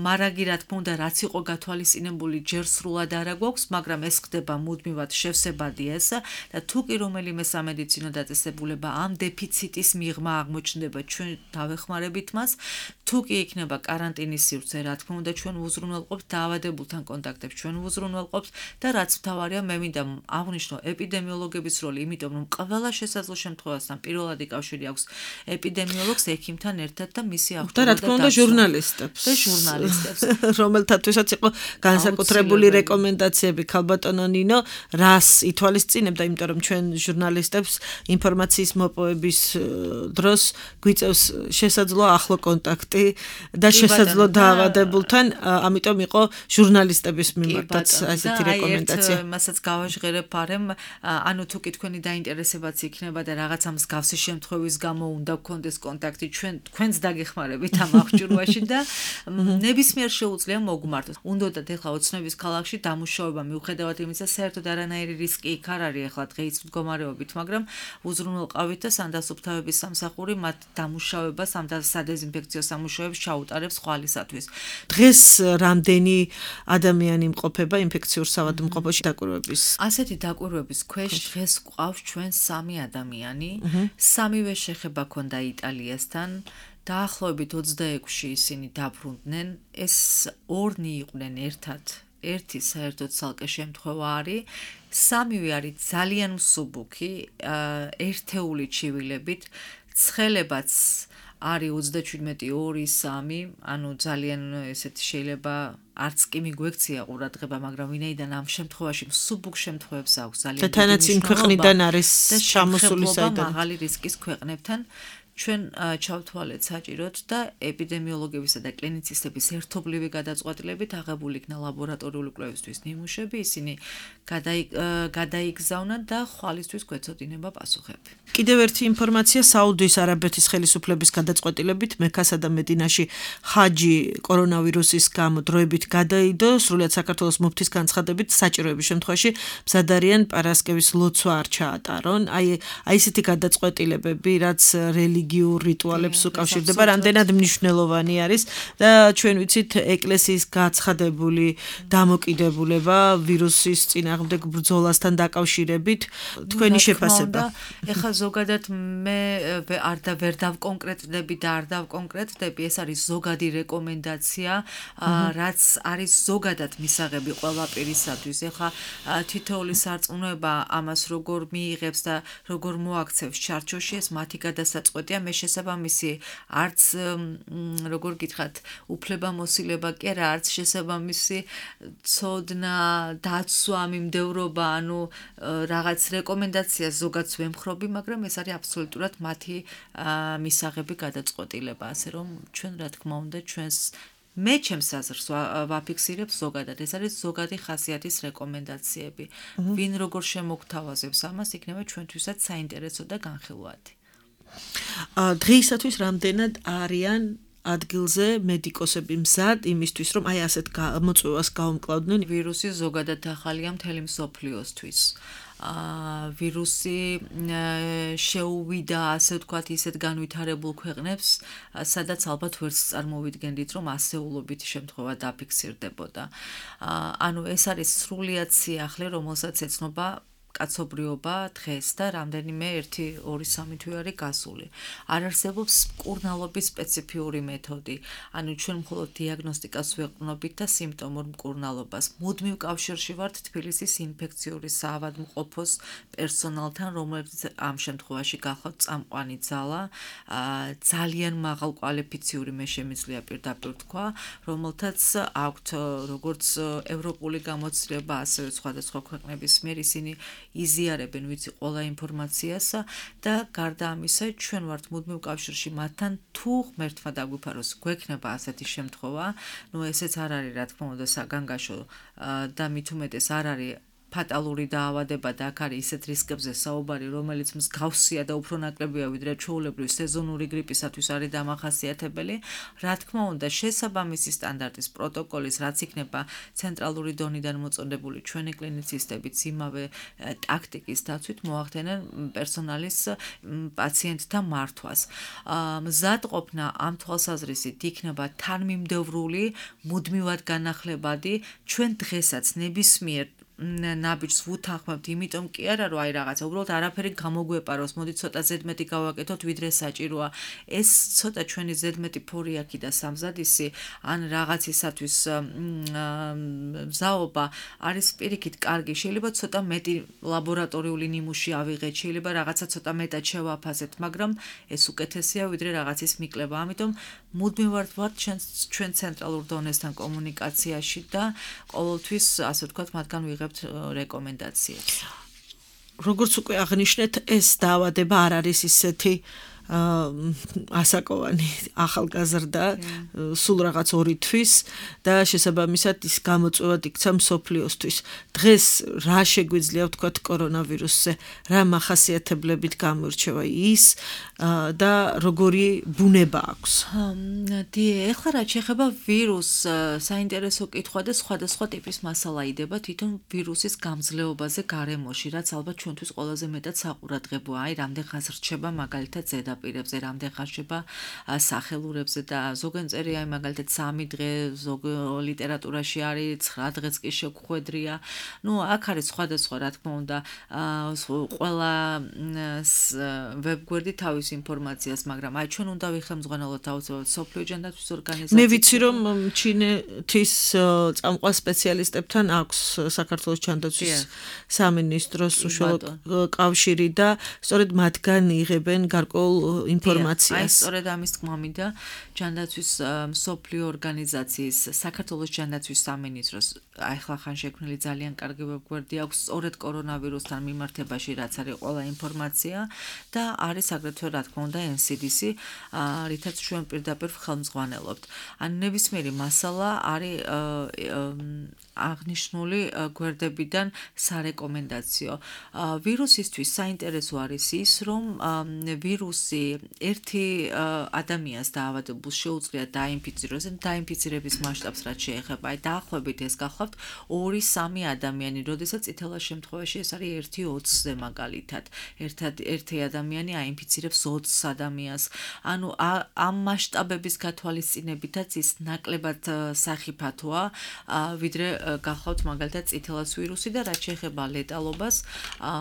მარაგი რა თქმა უნდა რაც იყო გათვალისწინებული ჯერ სრულად არა გვაქვს მაგრამ ეს ხდება მუდმივად შევსებადია ეს და თუ კი რომელიმე სამედიცინო დაწესებულება ამ დეფიციტის მიღმა აღმოჩნდება ჩვენ დავეხმარებით მას თუ კი იქნება კარანტინის სივრცე რა თქმა უნდა ჩვენ უზრუნველყოფთ დაავადებულთან კონტაქტებს ჩვენ უზრუნველყოფთ და რაც მთავარია მე მინდა აღნიშნო ეპიდემიოლოგების როლი, იმიტომ რომ ყველა შესაძლო შემთხვევასთან პირველადი კავშირი აქვს ეპიდემიოლოგს ექიმთან ერთად და მისი აღჭურვილობა და რა თქმა უნდა ჟურნალისტებს და ჟურნალისტებს რომელთათვისაც იყო განსაკუთრებული რეკომენდაციები ქალბატონო ნინო რას ითვალისწინებდა, იმიტომ რომ ჩვენ ჟურნალისტებს ინფორმაციის მოპოვების დროს გვიწევს შესაძლო ახლო კონტაქტი და შესაძლო დაავადებულთან, ამიტომ იყო ჟურნალისტების მიმართაც ასეთი რეკომენდაცია. გავაჟღერებ არემ ანუ თუ კი თქვენი დაინტერესებაც იქნება და რაღაცა მსგავსი შემთხვევის გამო უნდა გქონდეს კონტაქტი ჩვენ თქვენს დაგეხმარებით ამ აღჭურვაში და ნებისმიერ შეუძლია მოგმართოს. უნდათ ეხლა ოცნების ქალაქში დამუშავება მიუხედავად იმისა საერთოდ არანაირი რისკი იქ არ არის ეხლა დღეის მდგომარეობით, მაგრამ უზრუნველყავით და სანდასუფთავების სამსახური მათ დამუშავებას ამ სადეზინფექციო სამუშაოებს ჩაუტარებს ხვალისათვის. დღეს რამდენი ადამიანი იმყოფება ინფექციურ საავადმყოფოში დაკვირვების ასეთი დაკვირვების ქვეშ დღეს გვყავს ჩვენ სამი ადამიანი, სამივე შეხება ქონდა იტალიასთან, დაახლოებით ოცდაექვსში ისინი დაბრუნდნენ, ეს ორნი იყვნენ ერთად, ერთი საერთოდ ცალკე შემთხვევა არის, სამივე არის ძალიან მსუბუქი, ერთეული ჩივილებით, ცხელებაც არის ოცდაჩვიდმეტი ორი სამი, ანუ ძალიან ესეთი შეიძლება არც კი მიგვექცია ყურადღება, მაგრამ ვინაიდან ამ შემთხვევაში მსუბუქ შემთხვევებს აქვს ძალიან და თანაც იმ ქვეყნიდან არის ჩამოსული საიდან მაღალი რისკის ქვეყნებთან ჩვენ ჩავთვალეთ საჭიროდ და ეპიდემიოლოგებისა და კლინიცისტების ერთობლივი გადაწყვეტილებით აღებული იქნა ლაბორატორიული კვლევისთვის ნიმუშები, ისინი გადაიგზავნათ და ხვალისთვის გვეცოდინება პასუხები. კიდევ ერთი ინფორმაცია საუდის არაბეთის ხელისუფლების გადაწყვეტილებით მექასა და მედინაში ჰაჯი კორონავირუსის გამო დროებით გადაიდო, სრულიად საქართველოს მუფთის განცხადებით საჭიროების შემთხვევაში მზად არიან პარასკევის ლოცვა არ ჩაატარონ. აი აი ესეთი გადაწყვეტილებები, რაც რელიგიურ რიტუალებს უკავშირდება, რამდენად მნიშვნელოვანი არის და ჩვენ ვიცით ეკლესიის გაცხადებული დამოკიდებულება ვირუსის წინააღმდეგ ბრძოლასთან დაკავშირებით თქვენი შეფასება. ეხლა ზოგადად მე არ და ვერ დავკონკრეტდები და არ დავკონკრეტდები, ეს არის ზოგადი რეკომენდაცია, რაც არის ზოგადად მისაღები ყველა პირისათვის. ეხლა თითოეული სარწმუნოება ამას როგორ მიიღებს და როგორ მოაქცევს ჩარჩოში, ეს მათი გადასაწყვეტია, მე შესაბამისი არც როგორ გითხრათ, უფლებამოსილება კი არა, არც შესაბამისი ცოდნა, დაცვა, მიმდევრობა, ანუ რაღაც რეკომენდაციას ზოგადს ვემხრობი, მაგრამ ეს არის აბსოლუტურად მათი მისაღები გადაწყვეტილება, ასე რომ ჩვენ რა თქმა უნდა ჩვენს მე ჩემს აზრს ვაფიქსირებ ზოგადად. ეს არის ზოგადი ხასიათის რეკომენდაციები. ვინ როგორ შემოგთავაზებს ამას, იქნება ჩვენთვისაც საინტერესო და განხილვადი. დღეისათვის რამდენად არიან ადგილზე მედიკოსები მზად იმისთვის, რომ აი ასეთ მოწვევას გაუმკლავდნენ? ვირუსი ზოგადად ახალია მთელი მსოფლიოსთვის. ა ვირუსი შეუვიდა, ასე ვთქვათ, ისეთ განვითარებულ ქვეყნებს, სადაც ალბათ ვერც წარმოვიდგენდით, რომ ასეულობით შემთხვევა დაფიქსირდებოდა. ანუ ეს არის სრულიად სიახლე, რომელსაც ეცნობა კაცობრიობა დღეს და რამდენიმე ერთი ორი სამი თვე არის გასული. არ არსებობს მკურნალობის სპეციფიური მეთოდი. ანუ ჩვენ მხოლოდ დიაგნოსტიკას ვეყრდნობით და სიმპტომურ მკურნალობას. მუდმივ კავშირში ვართ თბილისის ინფექციური საავადმყოფოს პერსონალთან, რომელიც ამ შემთხვევაში გახლავთ წამყვანი ძალა, ძალიან მაღალ კვალიფიციური მე შემიძლია პირდაპირ თქვა, რომელთაც აქვთ როგორც ევროპული გამოცდილება, ასევე სხვადასხვა ქვეყნების მიერ ისინი იზიარებენ ვიცი ყველა ინფორმაციას და გარდა ამისა ჩვენ ვართ მუდმივ კავშირში მათთან თუ ღმერთმა დაგვიფაროს გვექნება ასეთი შემთხვევა, ნუ ესეც არ არის რა თქმა უნდა საგანგაშო და მით უმეტეს არ არის ფატალური დაავადება და აქ არის ისეთ რისკებზე საუბარი, რომელიც მსგავსია და უფრო ნაკლებია ვიდრე ჩვეულებრივი სეზონური გრიპისათვის არის დამახასიათებელი. რა თქმა უნდა, შესაბამისი სტანდარტის პროტოკოლის, რაც იქნება ცენტრალური დონიდან მოწოდებული ჩვენი კლინიცისტებიც იმავე ტაქტიკის დაცვით მოახდენენ პერსონალის პაციენტთა მართვას. მზადყოფნა ამ თვალსაზრისით იქნება თანმიმდევრული, მუდმივად განახლებადი, ჩვენ დღესაც ნებისმიერ ნაბიჯს ვუთანხმებთ, იმიტომ კი არა, რომ აი რაღაცა უბრალოდ არაფერი გამოგვეპაროს, მოდი ცოტა ზედმეტი გავაკეთოთ, ვიდრე საჭიროა. ეს ცოტა ჩვენი ზედმეტი ფორიაქი და სამზადისი ან რაღაცისათვის მზაობა არის პირიქით კარგი. შეიძლება ცოტა მეტი ლაბორატორიული ნიმუში ავიღეთ, შეიძლება რაღაცა ცოტა მეტად შევაფასებთ, მაგრამ ეს უკეთესია ვიდრე რაღაცის მიკლება. ამიტომ მუდმივად ვართ ჩვენ ცენტრალურ დონესთან კომუნიკაციაში და ყოველთვის, ასე ვთქვათ, მათგან ვიღებთ რეკომენდაციებს. როგორც უკვე აღნიშნეთ, ეს დაავადება არ არის ისეთი ასაკოვანი ახალგაზრდა სულ რაღაც ორი თვის და შესაბამისად ის გამოწვევად იქცა მსოფლიოსთვის. დღეს რა შეგვიძლია ვთქვათ კორონავირუსზე, რა მახასიათებლებით გამოირჩევა ის და როგორი ბუნება აქვს? ეხლა რაც შეეხება ვირუსს, საინტერესო კითხვა და სხვადასხვა ტიპის მასალა იდება თვითონ ვირუსის გამძლეობაზე გარემოში, რაც ალბათ ჩვენთვის ყველაზე მეტად საყურადღებოა. აი, რამდენღაც რჩება მაგალითად ზედა პირებზე, რამდენ ხანშება სახელურებზე და ზოგან წერია აი მაგალითად სამი დღე, ზოგ ლიტერატურაში არის ცხრა დღეც კი შეგხვედრია. ნუ აქ არის სხვადასხვა რა თქმა უნდა ყველა ვებგვერდი თავის ინფორმაციას, მაგრამ აი ჩვენ უნდა ვიხელმძღვანელოთ აუცილებლად სოფლიო ჯანდაცვის ორგანიზაციას. მე ვიცი რომ ჩინეთის წამყვან სპეციალისტებთან აქვს საქართველოს ჯანდაცვის სამინისტროს უშუალო კავშირი და სწორედ მათგან იღებენ გარკვეულ ინფორმაციას. აი სწორედ ამის თქმა მინდა ჯანდაცვის მსოფლიო ორგანიზაციის საქართველოს ჯანდაცვის სამინისტროს ახლა ხან შექმნილი ძალიან კარგი ვებგვერდი აქვს სწორედ კორონავირუსთან მიმართებაში, რაც არის ყველა ინფორმაცია და არის აგრეთვე რა თქმა უნდა ენ სი დი სი, რითაც ჩვენ პირდაპირ ხელმძღვანელობთ. ან ნებისმიერი მასალა არის აღნიშნული გვერდებიდან სარეკომენდაციო. ვირუსისთვის საინტერესო არის ის, რომ ვირუსი ერთი ადამიანს დაავადებულს შეუძლია დაინფიციროს, დაინფიცირების მასშტაბს რაც შეეხება, აი დაახლოებით ეს გახლავთ ორი სამი ადამიანი, როდესაც წითელა შემთხვევაში ეს არის ერთი ოცზე მაგალითად. ერთი ადამიანი აინფიცირებს ოცს ადამიანს. ანუ ამ მასშტაბების გათვალისწინებითაც ის ნაკლებად სახიფათოა, ვიდრე გახლავთ მაგალითად წითელას ვირუსი და რაც შეეხება ლეტალობას,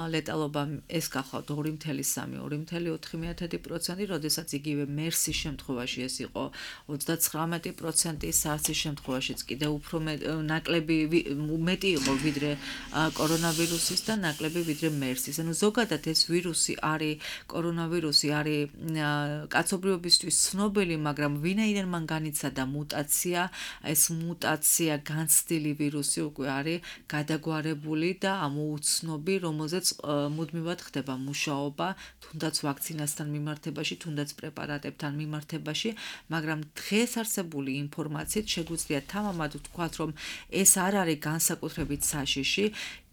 ლეტალობა ეს გახლავთ ორი ფاصლე სამი, ორი ფاصლე ოთხი ოცდაათი პროცენტი, როდესაც იგივე მერსის შემთხვევაში ეს იყო ოცდაცხრამეტი პროცენტი, SARS-ის შემთხვევაშიც კიდე უფრო ნაკლები მეტი იყო ვიდრე კორონავირუსის და ნაკლები ვიდრე მერსის. ანუ ზოგადად ეს ვირუსი არის კორონავირუსი არის კაცობრიობისთვის ცნობილი, მაგრამ ვინაიდან მან განიცადა მუტაცია, ეს მუტაცია განცდილი ვირუსი უკვე არის გადაგვარებული და ამოუცნობი, რომელზეც მუდმივად ხდება მუშაობა, თუნდაც ვაქცინასთან მიმართებაში, თუნდაც პრეპარატებთან მიმართებაში, მაგრამ დღეს არსებული ინფორმაციით შეგვიძლია თამამად ვთქვათ, რომ ეს არ არის განსაკუთრებით საშიში.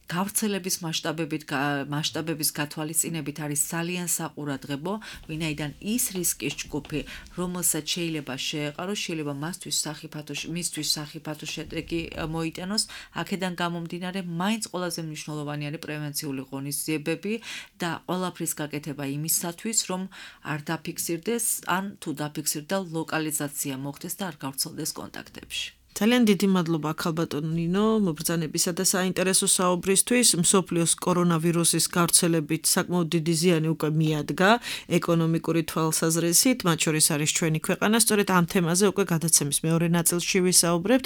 გავრცელების მასშტაბებით მასშტაბების გათვალისწინებით არის ძალიან საყურადღებო, ვინაიდან ის რისკის ჯგუფი, რომელსაც შეიძლება შეეყაროს, შეიძლება მასთვის სახიფათო მისთვის სახიფათო შედეგი მოიტანოს, აქედან გამომდინარე, მაინც ყველაზე მნიშვნელოვანი არის პრევენციული ღონისძიებები და ყველაფრის გაკეთება იმისათვის, რომ არ დაფიქსირდეს, ან თუ დაფიქსირდა ლოკალიზაცია მოხდეს და არ გავრცელდეს კონტაქტებში. ძალიან დიდი მადლობა ქალბატონ ნინო მობრძანებისა და საინტერესო საუბრისთვის. მსოფლიოს კორონავირუსის გავრცელებით საკმაოდ დიდი ზიანი უკვე მიადგა ეკონომიკური თვალსაზრისით, მათ შორის არის ჩვენი ქვეყანა. სწორედ ამ თემაზე უკვე გადაცემის მეორე ნაწილში ვისაუბრებთ.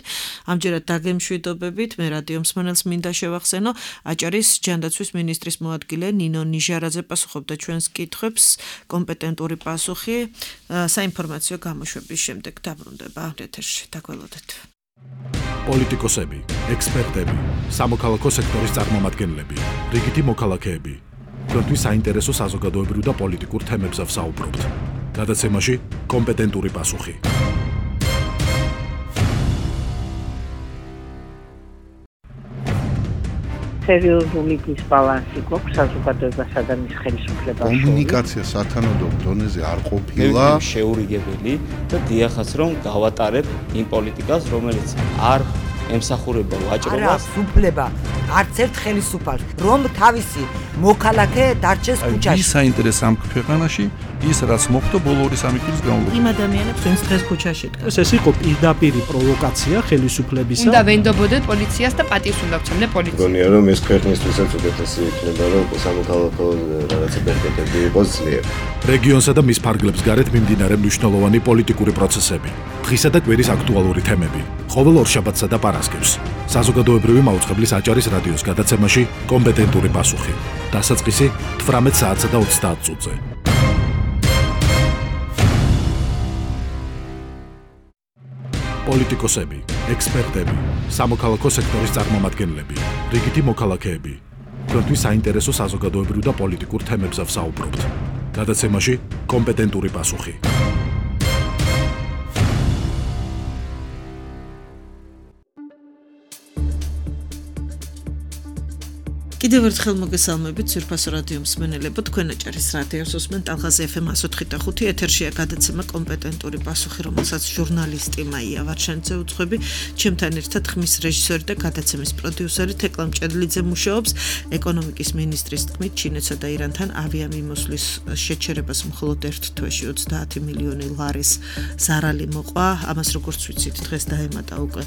ამჯერად დაგემშვიდობებით, მე რადიო მსმენელს მინდა შევახსენო, აჭარის ჯანდაცვის მინისტრის მოადგილე ნინო ნიჟარაძე პასუხობდა ჩვენს კითხვებს, კომპეტენტური პასუხი საინფორმაციო გამოშვების შემდეგ დაბრუნდება ეთერში. დაგველოდეთ. პოლიტიკოსები, ექსპერტები, სამოქალაქო სექტორის წარმომადგენლები, რიგითი მოქალაქეები. თქვენთვის საინტერესო საზოგადოებრივ და პოლიტიკურ თემებზე ვსაუბრობთ. გადაცემაში კომპეტენტური პასუხი. სერიოზული დისბალანსი გვაქვს საზოგადოებასა და მის ხელისუფლებას. კომუნიკაცია სათანადო დონეზე არ ყოფილა. შეურიგებელი და დიახაც რომ გავატარებ იმ პოლიტიკას, რომელიც არ ემსახურება ვაჭრობას. არა, უფლება არც ერთ ხელისუფალს, რომ თავისი მოქალაქე დარჩეს ქუჩაში. ის საინტერესო ამ ქვეყანაში ის რაც მოხდა ბოლო ორი სამი წლის განმავლობაში. იმ ადამიანებს ვინც დღეს ქუჩაში დგას. ეს იყო პირდაპირი პროვოკაცია ხელისუფლებისა. უნდა ვენდობოდეთ პოლიციას და პატივს უნდა ვცემდე პოლიციას. მგონია რომ ეს ქვეყნისთვისაც უკეთესი იქნება რომ სამოქალაქო რაღაცა ბერკეტები იყოს ძლიერ. რეგიონსა და მის ფარგლებს გარეთ მიმდინარე მნიშვნელოვანი პოლიტიკური პროცესები. დღისა და კვირის აქტუალური თემები. ყოველ ორშაბათსა და პარასკევს. საზოგადოებრივი მაუწყებლის აჭარის რადიოს გადაცემაში კომპეტენტური პასუხი. დასაწყისი თვრამეტ საათსა და ოცდაათ წუთზე. პოლიტიკოსები, ექსპერტები, სამოქალაქო სექტორის წარმომადგენლები, რიგითი მოქალაქეები. თქვენთვის საინტერესო საზოგადოებრივ და პოლიტიკურ თემებზე ვსაუბრობთ. გადაცემაში კომპეტენტური პასუხი. კიდევ ერთხელ მოგესალმებით ძვირფასო რადიო მსმენელებო, თქვენ აჭარის რადიოს უსმენთ ალღაზი ეფ ემ εκατოთხი და ხუთი ეთერშია გადაცემა კომპეტენტური პასუხი, რომელსაც ჟურნალისტი მაია ვარშენიძე უძღვები, ჩემთან ერთად ხმის რეჟისორი და გადაცემის პროდიუსერი თეკლა მჭედლიძე მუშაობს. ეკონომიკის მინისტრის თქმით, ჩინეთსა და ირანთან ავიამიმოსვლის შეჩერებას მხოლოდ ერთ თვეში ოცდაათი მილიონი ლარის ზარალი მოყვა. ამას როგორც ვიცით, დღეს დაემატა უკვე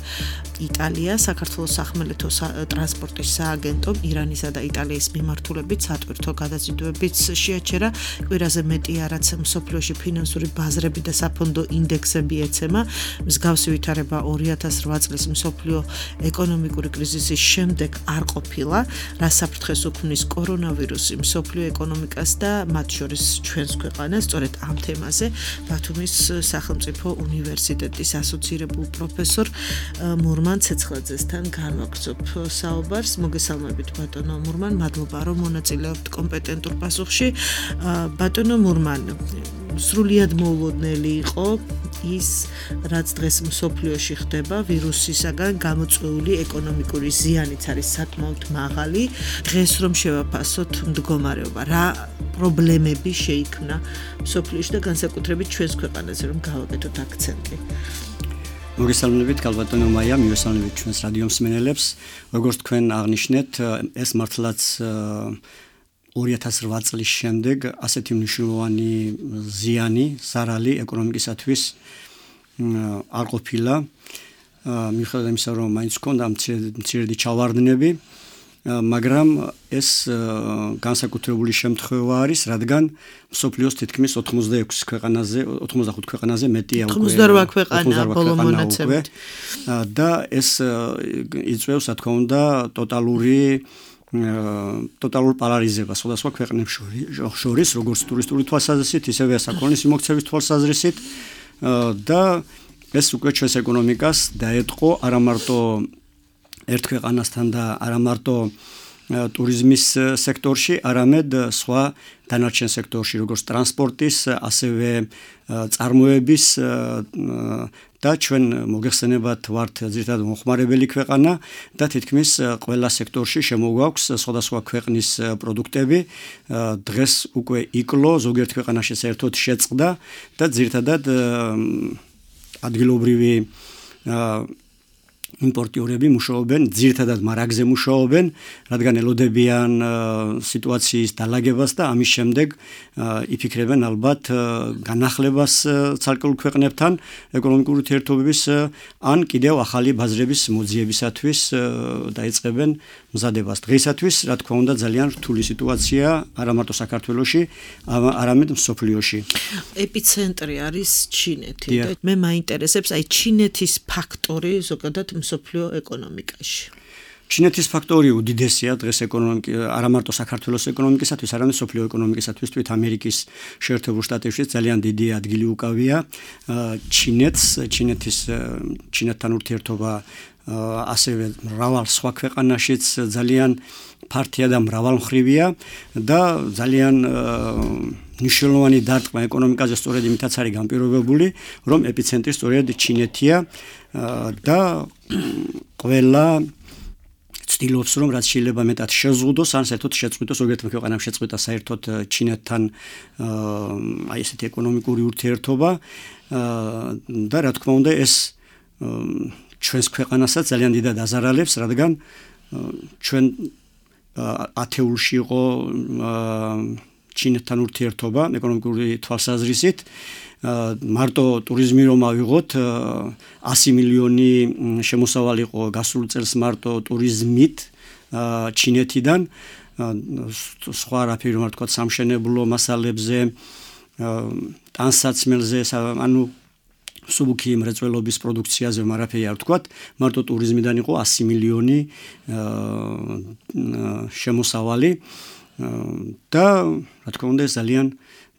იტალია, საქართველოს სახმელეთო ტრანსპორტის სააგენტომ ირანის და იტალიის მიმართულებით სატვირთო გადაზიდვებიც შეაჩერა. კვირაზე მეტი არაც მსოფლიოში ფინანსური ბაზრები და საფონდო ინდექსები ეცემა. მსგავსი ვითარება ორი ათას რვა წლის მსოფლიო ეკონომიკური კრიზისის შემდეგ არ ყოფილა, რაც საფრთხეს უქმნის კორონავირუსი მსოფლიო ეკონომიკას და მათ შორის ჩვენს ქვეყანას. სწორედ ამ თემაზე ბათუმის სახელმწიფო უნივერსიტეტის ასოცირებულ პროფესორ მურმან ცეცხლაძესთან განვაგრძობ საუბარს. მოგესალმებით ბატონო მურმან, მადლობა რომ მონაწილეობთ კომპეტენტურ პასუხში. ბატონო მურმან, სრულიად მოულოდნელი იყო ის, რაც დღეს მსოფლიოში ხდება, ვირუსისაგან გამოწვეული ეკონომიკური ზიანიც არის საკმაოდ მაღალი. დღეს რომ შევაფასოთ მდგომარეობა, რა პრობლემები შეიქმნა მსოფლიოში და განსაკუთრებით ჩვენს ქვეყანაზე, რომ გავაკეთოთ აქცენტი. მოგესალმებით ქალბატონო მაია, მივესალმებით ჩვენს რადიო მსმენელებს. როგორც თქვენ აღნიშნეთ, ეს მართლაც ორი ათას რვა წლის შემდეგ ასეთი მნიშვნელოვანი ზიანი, ზარალი ეკონომიკისათვის არ ყოფილა. მიუხედავად იმისა, რომ მაინც ჰქონდა მცირედი ჩავარდნები, მაგრამ ეს განსაკუთრებული შემთხვევა არის, რადგან მსოფლიოს თითქმის ოცდაექვსი ქვეყანაზე, ოცდახუთ ქვეყანაზე მეტია უკვე ოცდაოთხ ქვეყანა ბოლო მონაცემით. და ეს იწვევს, რა თქმა უნდა, ტოტალური ტოტალურ პოლარიზებას სხვადასხვა ქვეყნებს შორის, როგორც ტურისტული თვალსაზრისით, ისევე საქონლის მიმოქცევის თვალსაზრისით და ეს უკვე ჩვენს ეკონომიკას დაეთყო არა მარტო ერთ ქვეყანასთან და არა მარტო ტურიზმის სექტორში, არამედ სხვა დანარჩენ სექტორში, როგორც ტრანსპორტის, ასევე წარმოების და ჩვენ მოგეხსენებათ ვართ ძირითადად მომხმარებელი ქვეყანა და თითქმის ყველა სექტორში შემოგვაქვს სხვადასხვა ქვეყნის პროდუქტები. დღეს უკვე იკლო ზოგიერთ ქვეყანაში საერთოდ შეწყდა და ძირითადად ადგილობრივი იმპორტიორები მუშაობენ, ძირითადად მარაგზე მუშაობენ, რადგან ელოდებიან სიტუაციის დალაგებას და ამის შემდეგ იფიქრებენ ალბათ განახლებას ცალკეულ ქვეყნებთან ეკონომიკური ურთიერთობების ან კიდევ ახალი ბაზრების მოძიებისათვის დაიწყებენ მზადებას. დღეისათვის, რა თქმა უნდა, ძალიან რთული სიტუაცია არა მარტო საქართველოში, არამედ მსოფლიოში. ეპიცენტრი არის ჩინეთი. მე მაინტერესებს აი ჩინეთის ფაქტორი ზოგადად მსოფლიო ეკონომიკაში. ჩინეთის ფაქტორი უდიდესია დღეს ეკონომიკ არა მარტო საქართველოს ეკონომიკისათვის, არამედ მსოფლიო ეკონომიკისათვის, თვით ამერიკის შეერთებულ შტატებში ძალიან დიდი ადგილი უკავია ჩინეთს, ჩინეთის ჩინეთთან ურთიერთობა ასევე მრავალ სხვა ქვეყანაშიც ძალიან ფართია და მრავალმხრივია და ძალიან მნიშვნელოვანი დარტყმა ეკონომიკაზე სწორედ იმითაც არის განპირობებული, რომ ეპიცენტრი სწორედ ჩინეთია და ყველა ცდილობს, რომ რაც შეიძლება მეტად შეზღუდოს, ან საერთოდ შეწყვიტოს, ზოგიერთ ქვეყანამ შეწყვიტა საერთოდ ჩინეთთან აი ესეთი ეკონომიკური ურთიერთობა და რა თქმა უნდა ეს ჩვენს ქვეყანასაც ძალიან დიდად აზარალებს, რადგან ჩვენ ათეულში იყო ჩინეთთან ურთიერთობა ეკონომიკური თვალსაზრისით. მარტო ტურიზმი რომ ავიღოთ, ასი მილიონი შემოსავალი იყო გასულ წელს მარტო ტურიზმით ჩინეთიდან, სხვა რაფერი რომ ვთქვათ, სამშენებლო მასალებზე, ტანსაცმელზე, ანუ სუბუქი მრეწველობის პროდუქციაზე მარაფერი არ ვთქვათ, მარტო ტურიზმიდან იყო ასი მილიონი შემოსავალი და რა თქმა უნდა ეს ძალიან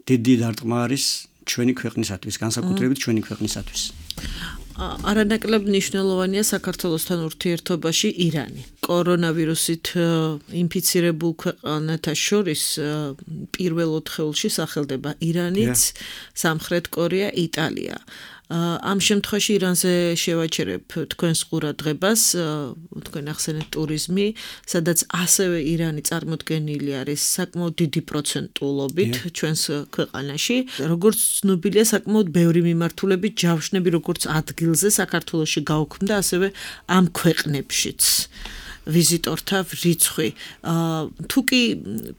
დიდი დარტყმა არის ჩვენი ქვეყნისათვის, განსაკუთრებით ჩვენი ქვეყნისათვის. არანაკლებ მნიშვნელოვანია საქართველოსთან ურთიერთობაში ირანი. კორონავირუსით ინფიცირებულ ქვეყანათა შორის პირველ ოთხეულში სახელდება ირანიც, სამხრეთ კორეა, იტალია. ამ შემთხვევაში ირანზე შევაჩერებ თქვენს ყურადღებას, თქვენ ახსენეთ ტურიზმი, სადაც ასევე ირანი წარმოდგენილი არის საკმაოდ დიდი პროცენტულობით ჩვენს ქვეყანაში. როგორც ცნობილია, საკმაოდ ბევრი მიმართულებით ჯავშნები როგორც ადგილზე საქართველოში გაუქმდა, ასევე ამ ქვეყნებშიც. ვიზიტორთა რიცხვი. თუ კი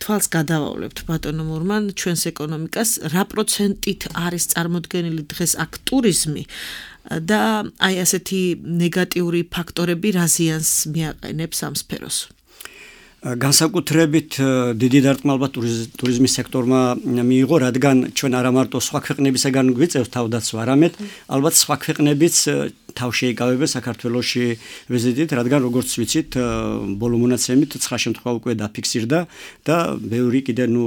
თვალს გადავავლებთ ბატონო მურმან ჩვენს ეკონომიკას, რა პროცენტით არის წარმოდგენილი დღეს აქ ტურიზმი და აი ასეთი ნეგატიური ფაქტორები რა ზიანს მიაყენებს ამ სფეროს? განსაკუთრებით დიდი დარტყმა ალბათ ტურიზმის სექტორმა მიიღო, რადგან ჩვენ არა მარტო სხვა ქვეყნებისგან გვიწევს თავდაცვა, არამედ ალბათ სხვა ქვეყნებიც თავ შეიკავებენ საქართველოში ვიზიტით, რადგან როგორც ვიცით, ბოლო მონაცემით ცხრა შემთხვევა უკვე დაფიქსირდა და ბევრი კიდე ნუ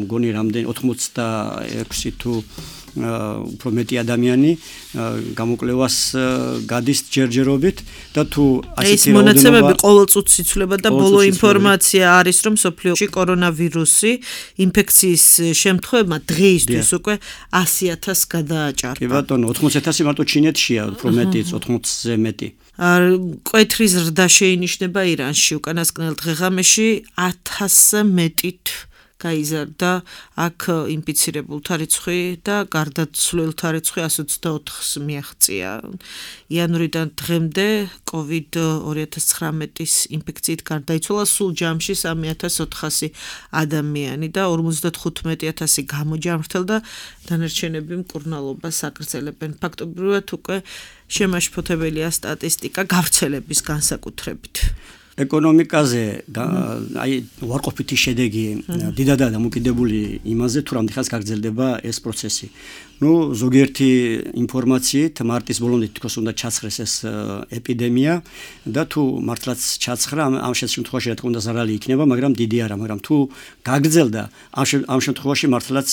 მგონი რამდენი ოთხმოცდაექვსი თუ უფრო მეტი ადამიანი გამოკვლევას გადის ჯერჯერობით და თუ ასეთი რაოდენობა ეს მონაცემები ყოველწუთს იცვლება და ბოლო ინფორმაცია არის, რომ სოფლიოში კორონავირუსი ინფექციის შემთხვევებმა დღეისთვის უკვე ასი ათასს გადააჭარბა. კი ბატონო, ოთხმოცი ათასი მარტო ჩინეთშია, უფრო მეტიც, ოთხმოცზე მეტი. მკვეთრი ზრდა შეინიშნება ირანში, უკანასკნელ დღეღამეში ათასზე მეტით გაიზარდა აქ ინფიცირებულთა რიცხვი და გარდაცვლილთა რიცხვი ასი ოცდაოთხს მიაღწია. იანვრიდან დღემდე კოვიდ ორი ათას ცხრამეტის ინფექციით გარდაიცვალა სულ ჯამში სამი ათას ოთხასი ადამიანი და ორმოცდათხუთმეტი ათასი გამოჯამრთელდა, დანარჩენები მკურნალობას აგრძელებენ. ფაქტობრივად უკვე შემაშფოთებელია სტატისტიკა გავრცელების განსაკუთრებით. ეკონომიკაზე აი უარყოფითი შედეგი დიდადაა დამოკიდებული იმაზე, თუ რამდენი ხანს გაგრძელდება ეს პროცესი. ნუ ზოგიერთი ინფორმაციით მარტის ბოლომდე თქოს უნდა ჩაცხრეს ეს ეპიდემია და თუ მართლაც ჩაცხრა ამ შემთხვევაში რა თქმა უნდა ზარალი იქნება, მაგრამ დიდი არა, მაგრამ თუ გაგრძელდა ამ შემთხვევაში მართლაც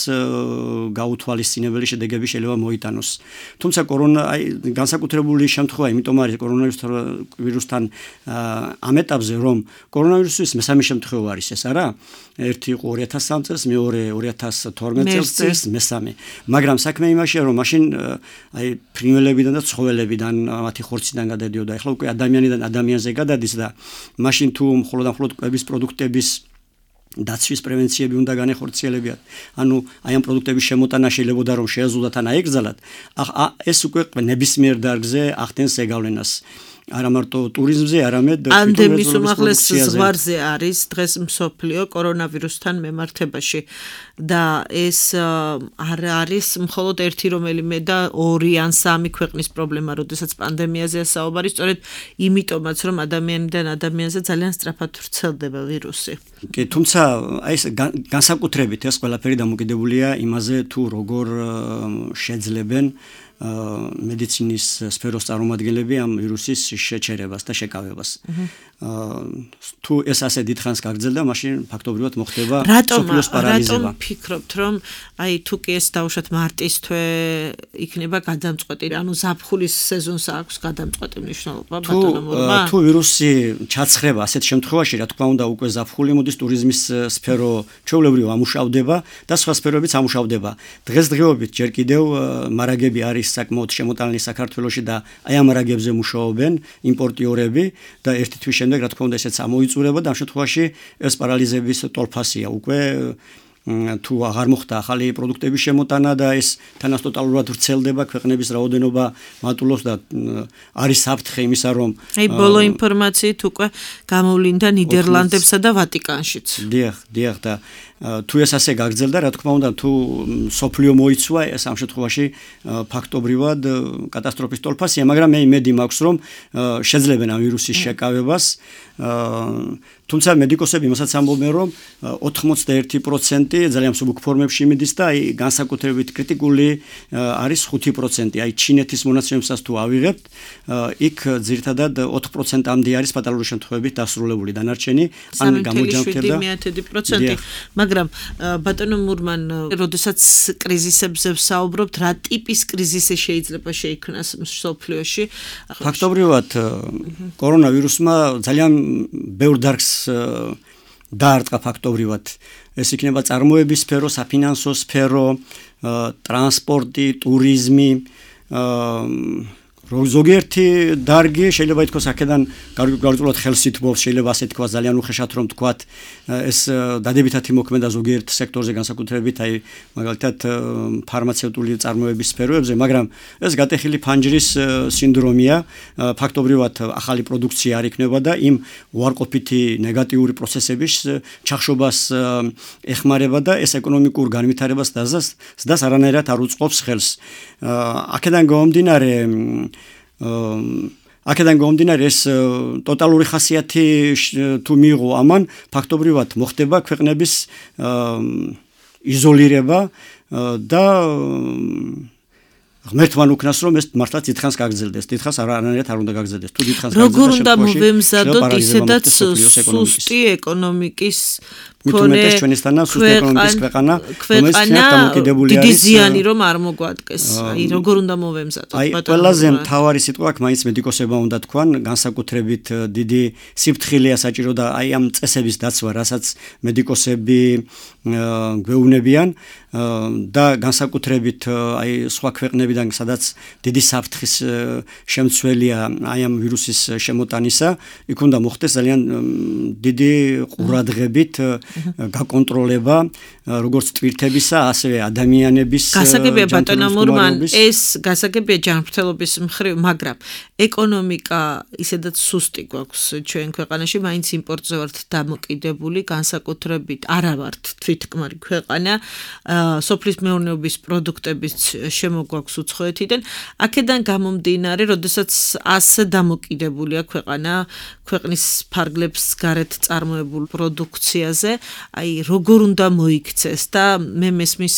გაუთვალისწინებელი შედეგები შეიძლება მოიტანოს. თუმცა კორონა აი განსაკუთრებული შემთხვევა, იმიტომ არის კორონავირუსთან ამ ეტაპზე, რომ კორონავირუსის მესამე შემთხვევა არის ეს არა? ერთი იყო ორი ათას სამი წელს, მეორე ორი ათას თორმეტ წელს, მესამე. მაგრამ საქმე იმაშია, რომ მაშინ აი ფრინველებიდან და ცხოველებიდან, მათი ხორციდან გადადიოდა. ეხლა უკვე ადამიანიდან ადამიანზე გადადის და მაშინ თუ მხოლოდ მხოლოდ კვების პროდუქტების დაცვის პრევენციები უნდა განეხორციელებიათ. ანუ აი ამ პროდუქტების შემოტანა შეიძლება რომ შეეზღუდათ ან აეგრძალათ. ეს უკვე ნებისმიერ დარგზე ახდენს ეგავლენას. არა მარტო ტურიზმზე, არამედ ანდემის უმაღლეს ზღვარზე არის დღეს მსოფლიო კორონავირუსთან მემართებაში და ეს არ არის მხოლოდ ერთი რომელიმე და ორი ან სამი ქვეყნის პრობლემა, როდესაც პანდემიაზეა საუბარი, სწორედ იმიტომაც რომ ადამიანიდან ადამიანზე ძალიან სწრაფად ვრცელდება ვირუსი. კი, თუმცა აი ეს განსაკუთრებით ეს ყველაფერი დამოკიდებულია იმაზე, თუ როგორ შეძლებენ მედიცინის სფეროს წარმომადგენლები ამ ვირუსის შეჩერებას და შეკავებას. თუ ეს ასე დიდხანს გაგრძელდა, მაშინ ფაქტობრივად მოხდება სოფლიოს პარალიზება. რატომ ფიქრობთ, რომ აი თუ კი ეს დავუშვათ მარტის თვე იქნება გადამწყვეტი, ანუ ზაფხულის სეზონს აქვს გადამწყვეტი მნიშვნელობა ბატონო? თუ ვირუსი ჩაცხრება ასეთ შემთხვევაში, რა თქმა უნდა, უკვე ზაფხული მოდის ტურიზმის სფერო ჩვეულებრივ ამუშავდება და სხვა სფეროებიც ამუშავდება. დღესდღეობით ჯერ კიდევ მარაგები არის საკმაოდ შემოტანილი საქართველოში და აი ამ მარაგებზე მუშაობენ იმპორტიორები და ერთი თვის შემდეგ რა თქმა უნდა ესეც ამოიწურება და ამ შემთხვევაში ეს პარალიზების ტოლფასია უკვე თუ აღარ მოხდა ახალი პროდუქტების შემოტანა და ეს თანაც ტოტალურად ვრცელდება, ქვეყნების რაოდენობა მატულობს და არის საფრთხე იმისა, რომ აი ბოლო ინფორმაციით უკვე გამოვლინდა ნიდერლანდებსა და ვატიკანშიც. დიახ, დიახ და თუ ეს ასე გაგრძელდა, რა თქმა უნდა, თუ სოფლიო მოიცვა, ეს ამ შემთხვევაში ფაქტობრივად კატასტროფის ტოლფასია, მაგრამ მე იმედი მაქვს, რომ შეძლებენ ამ ვირუსის შეკავებას. თუმცა მედიკოსები მასაც ამბობენ, რომ ოთხმოცდაერთი პროცენტი ძალიან მსუბუქ ფორმებში მიდის და აი განსაკუთრებით კრიტიკული არის ხუთი პროცენტი. აი ჩინეთის მონაცემებსაც თუ ავიღებთ, იქ ძირითადად ოთხ პროცენტამდე არის ფატალური შემთხვევებით დასრულებული დანარჩენი ან გამოჯამრთელდა სამი ათი პროცენტი. მაგრამ ბატონო მურმან, როდესაც კრიზისებზე ვსაუბრობთ, რა ტიპის კრიზისი შეიძლება შეიქმნას მსოფლიოში? ფაქტობრივად კორონავირუსმა ძალიან ბევრ დარგს დაარტყა ფაქტობრივად. ეს იქნება წარმოების სფერო, საფინანსო სფერო, ტრანსპორტი, ტურიზმი, ზოგიერთი დარგი შეიძლება ითქვას აქედან გარკვეულად ხელს ითმობს, შეიძლება ასე თქვა ძალიან უხეშად რომ თქვათ ეს დადებითად იმოქმედა ზოგიერთ სექტორზე განსაკუთრებით აი მაგალითად ფარმაცევტული წარმოების სფეროებზე, მაგრამ ეს გატეხილი ფანჯრის სინდრომია, ფაქტობრივად ახალი პროდუქცია არ იქნება და იმ უარყოფითი ნეგატიური პროცესების ჩახშობას ეხმარება და ეს ეკონომიკურ განვითარებას ზრდას არანაირად არ უწყობს ხელს. აქედან გამომდინარე აქედან გამომდინარე ეს ტოტალური ხასიათი თუ მიიღო ამან, ფაქტობრივად მოხდება ქვეყნების იზოლირება და ღმერთმან უკნას რომ ეს მართლაც დიდხანს გაგრძელდეს, დიდხანს არანაირად არ უნდა გაგრძელდეს. თუ დიდხანს გაგრძელდეს, როგორ უნდა მოვემზადოთ ისედაც სუსტი ეკონომიკის მქონე ჩვენისთანა სუსტი ეკონომიკის ქვეყანა, რომელიც თერთ დამოკიდებული არის. დიდი ზიანი რომ არ მოგვადგეს. აი როგორ უნდა მოვემზადოთ? აი ყველაზე მთავარი სიტყვა აქ მაინც მედიკოსებმა უნდა თქვან, განსაკუთრებით დიდი სიფრთხილეა საჭირო და აი ამ წესების დაცვა, რასაც მედიკოსები გვეუბნებიან და განსაკუთრებით აი სხვა ქვეყნებიდან, სადაც დიდი საფრთხის შემცველია აი ამ ვირუსის შემოტანისა, იქ უნდა მოხდეს ძალიან დიდი ყურადღებით გაკონტროლება როგორც ტვირთებისა, ასევე ადამიანების გასაგებია ბატონო მურმან, ეს გასაგებია ჯანმრთელობის მხრივ, მაგრამ ეკონომიკა ისედაც სუსტი გვაქვს ჩვენ ქვეყანაში, მაინც იმპორტზე ვართ დამოკიდებული, განსაკუთრებით არა ვართ თვითკმარი ქვეყანა, სოფლის მეურნეობის პროდუქტების შემოგვაქვს უცხოეთიდან, აქედან გამომდინარე, როდესაც ასე დამოკიდებულია ქვეყანა ქვეყნის ფარგლებს გარეთ წარმოებულ პროდუქციაზე, აი როგორ უნდა მოიქცეს და მე მესმის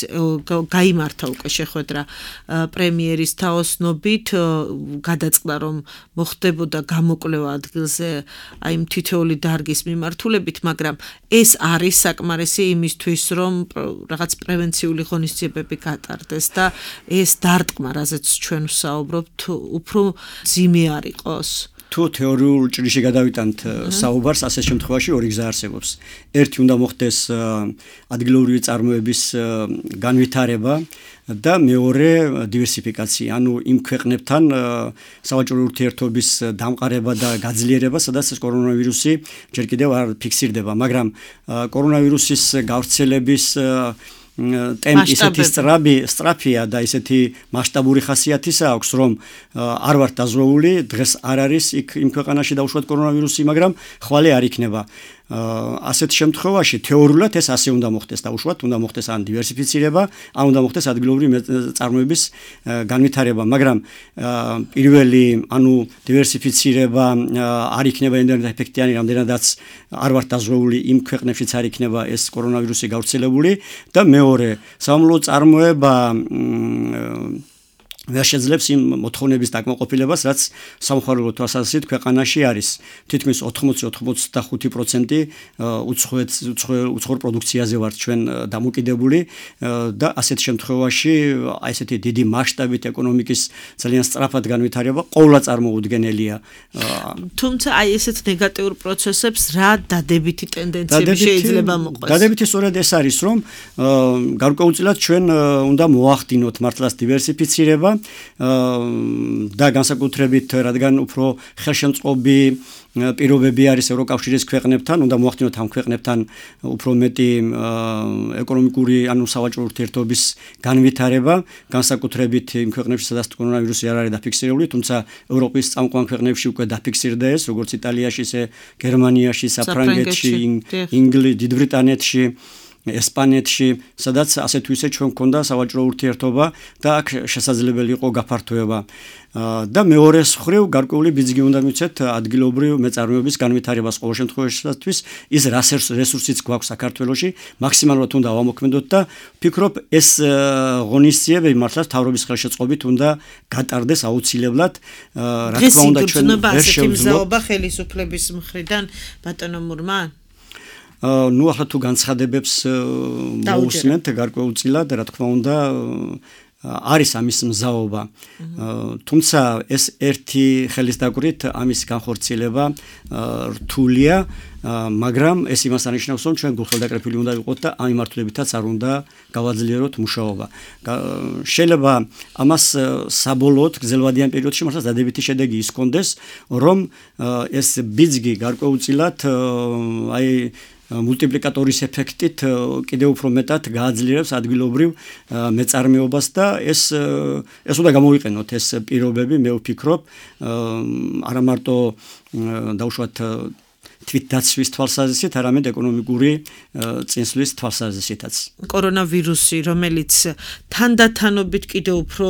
გაიმართა უკვე შეხვედრა პრემიერის თაოსნობით, გადაწყდა რომ მოხდებოდა გამოკვლევა ადგილზე აი თითოეული დარგის მიმართულებით, მაგრამ ეს არის საკმარისი იმისთვის, რომ რაღაც პრევენციული ღონისძიებები გატარდეს და ეს დარტყმა, რაზეც ჩვენ ვსაუბრობთ, უფრო ძიმე არ იყოს. თუ თეორიულ ჭრიში გადავიტანთ საუბარს, ასეთ შემთხვევაში ორი გზა არსებობს. ერთი უნდა მოხდეს ადგილობრივი წარმოების განვითარება და მეორე დივერსიფიკაცია, ანუ იმ ქვეყნებთან სავაჭრო ურთიერთობის დამყარება და გაძლიერება, სადაც კორონავირუსი ჯერ კიდევ არ ფიქსირდება, მაგრამ კორონავირუსის გავრცელების ტემპი ისეთი სწრაფი, სწრაფია და ისეთი მასშტაბური ხასიათისა აქვს, რომ არ ვართ დაზღვეული, დღეს არ არის იქ იმ ქვეყანაში დაუშვათ კორონავირუსი, მაგრამ ხვალე არ იქნება. ასეთ შემთხვევაში თეორიულად ეს ასე უნდა მოხდეს, დაუშვათ, უნდა მოხდეს ან დივერსიფიცირება, ან უნდა მოხდეს ადგილობრივი წარმოების განვითარება, მაგრამ პირველი, ანუ დივერსიფიცირება არ იქნება იმდენად ეფექტიანი, რამდენადაც არ ვართ დაზღვეული იმ ქვეყნებშიც არ იქნება ეს კორონავირუსი გავრცელებული და მეორე, სამამულო წარმოება ვერ შეძლებს იმ მოთხოვნების დაკმაყოფილებას, რაც სამხარებლო თვალსაზრისით ქვეყანაში არის. თითქმის ოთხმოცი ოცდახუთი პროცენტი უცხოეთ უცხოურ პროდუქციაზე ვართ ჩვენ დამოკიდებული და ასეთ შემთხვევაში აი ესეთი დიდი მასშტაბით ეკონომიკის ძალიან სწრაფად განვითარება ყოვლა წარმოუდგენელია. თუმცა აი ესეთ ნეგატიურ პროცესებს რა დადებითი ტენდენციები შეიძლება მოყვეს? დადებითი სწორედ ეს არის, რომ გარკვეულწილად ჩვენ უნდა მოახდინოთ მართლაც დივერსიფიცირება და განსაკუთრებით, რადგან უფრო ხელშემწყობი პირობები არის ევროკავშირის ქვეყნებთან, უნდა მოახდინოთ ამ ქვეყნებთან უფრო მეტი ეკონომიკური, ანუ სავაჭრო ურთიერთობის განვითარება, განსაკუთრებით იმ ქვეყნებში, სადაც კორონავირუსი არ არის დაფიქსირებული, თუმცა ევროპის წამყვან ქვეყნებში უკვე დაფიქსირდა ეს, როგორც იტალიაში, ისე გერმანიაში, საფრანგეთში, ინგლისში, დიდ ბრიტანეთში, ესპანეთში, სადაც ასე თუ ისე ჩვენ გქონდა სავაჭრო ურთიერთობა და აქ შესაძლებელი იყო გაფართოება. და მეორე მხრივ გარკვეული ბიძგი უნდა მიცეთ ადგილობრივ მეწარმეობის განვითარებას ყოველ შემთხვევაშიც ის რესურსიც გვაქვს საქართველოში მაქსიმალურად უნდა ავამოქმედოთ და ვფიქრობ ეს ღონისძიებები მართლაც მთავრობის ხელშეწყობით უნდა გატარდეს აუცილებლად. რა თქმა უნდა ჩვენ ვერ შევძლოთ ხელისუფლების მხრიდან ბატონო მურმან ნუ ახლა თუ განცხადებებს მოусმენთ გარკვეულწილად, რა თქმა უნდა არის ამის მზაობა. თუმცა ეს ერთი ხელის დაკვრით ამის განხორციელება რთულია, მაგრამ ეს იმას ანიშნავს, რომ ჩვენ გულხელდაკრეფილი უნდა ვიყოთ და ამ მიმართულებითაც არ უნდა გავაძლიეროთ მუშაობა. შეიძლება ამას საბოლოოდ გრძელვადიან პერიოდში მართლაც დადებითი შედეგი ის კონდეს, რომ ეს ბიძგი გარკვეულწილად აი მულტიპლიკატორის ეფექტით კიდევ უფრო მეტად გააძლიერებს ადგილობრივ მეწარმეობას და ეს ეს უნდა გამოვიყენოთ ეს პირობები, მე ვფიქრობ, არა მარტო დაუშვათ თვითდაცვის თვალსაზრისით, არამედ ეკონომიკური წინსვლის თვალსაზრისითაც. კორონავირუსი, რომელიც თანდათანობით კიდევ უფრო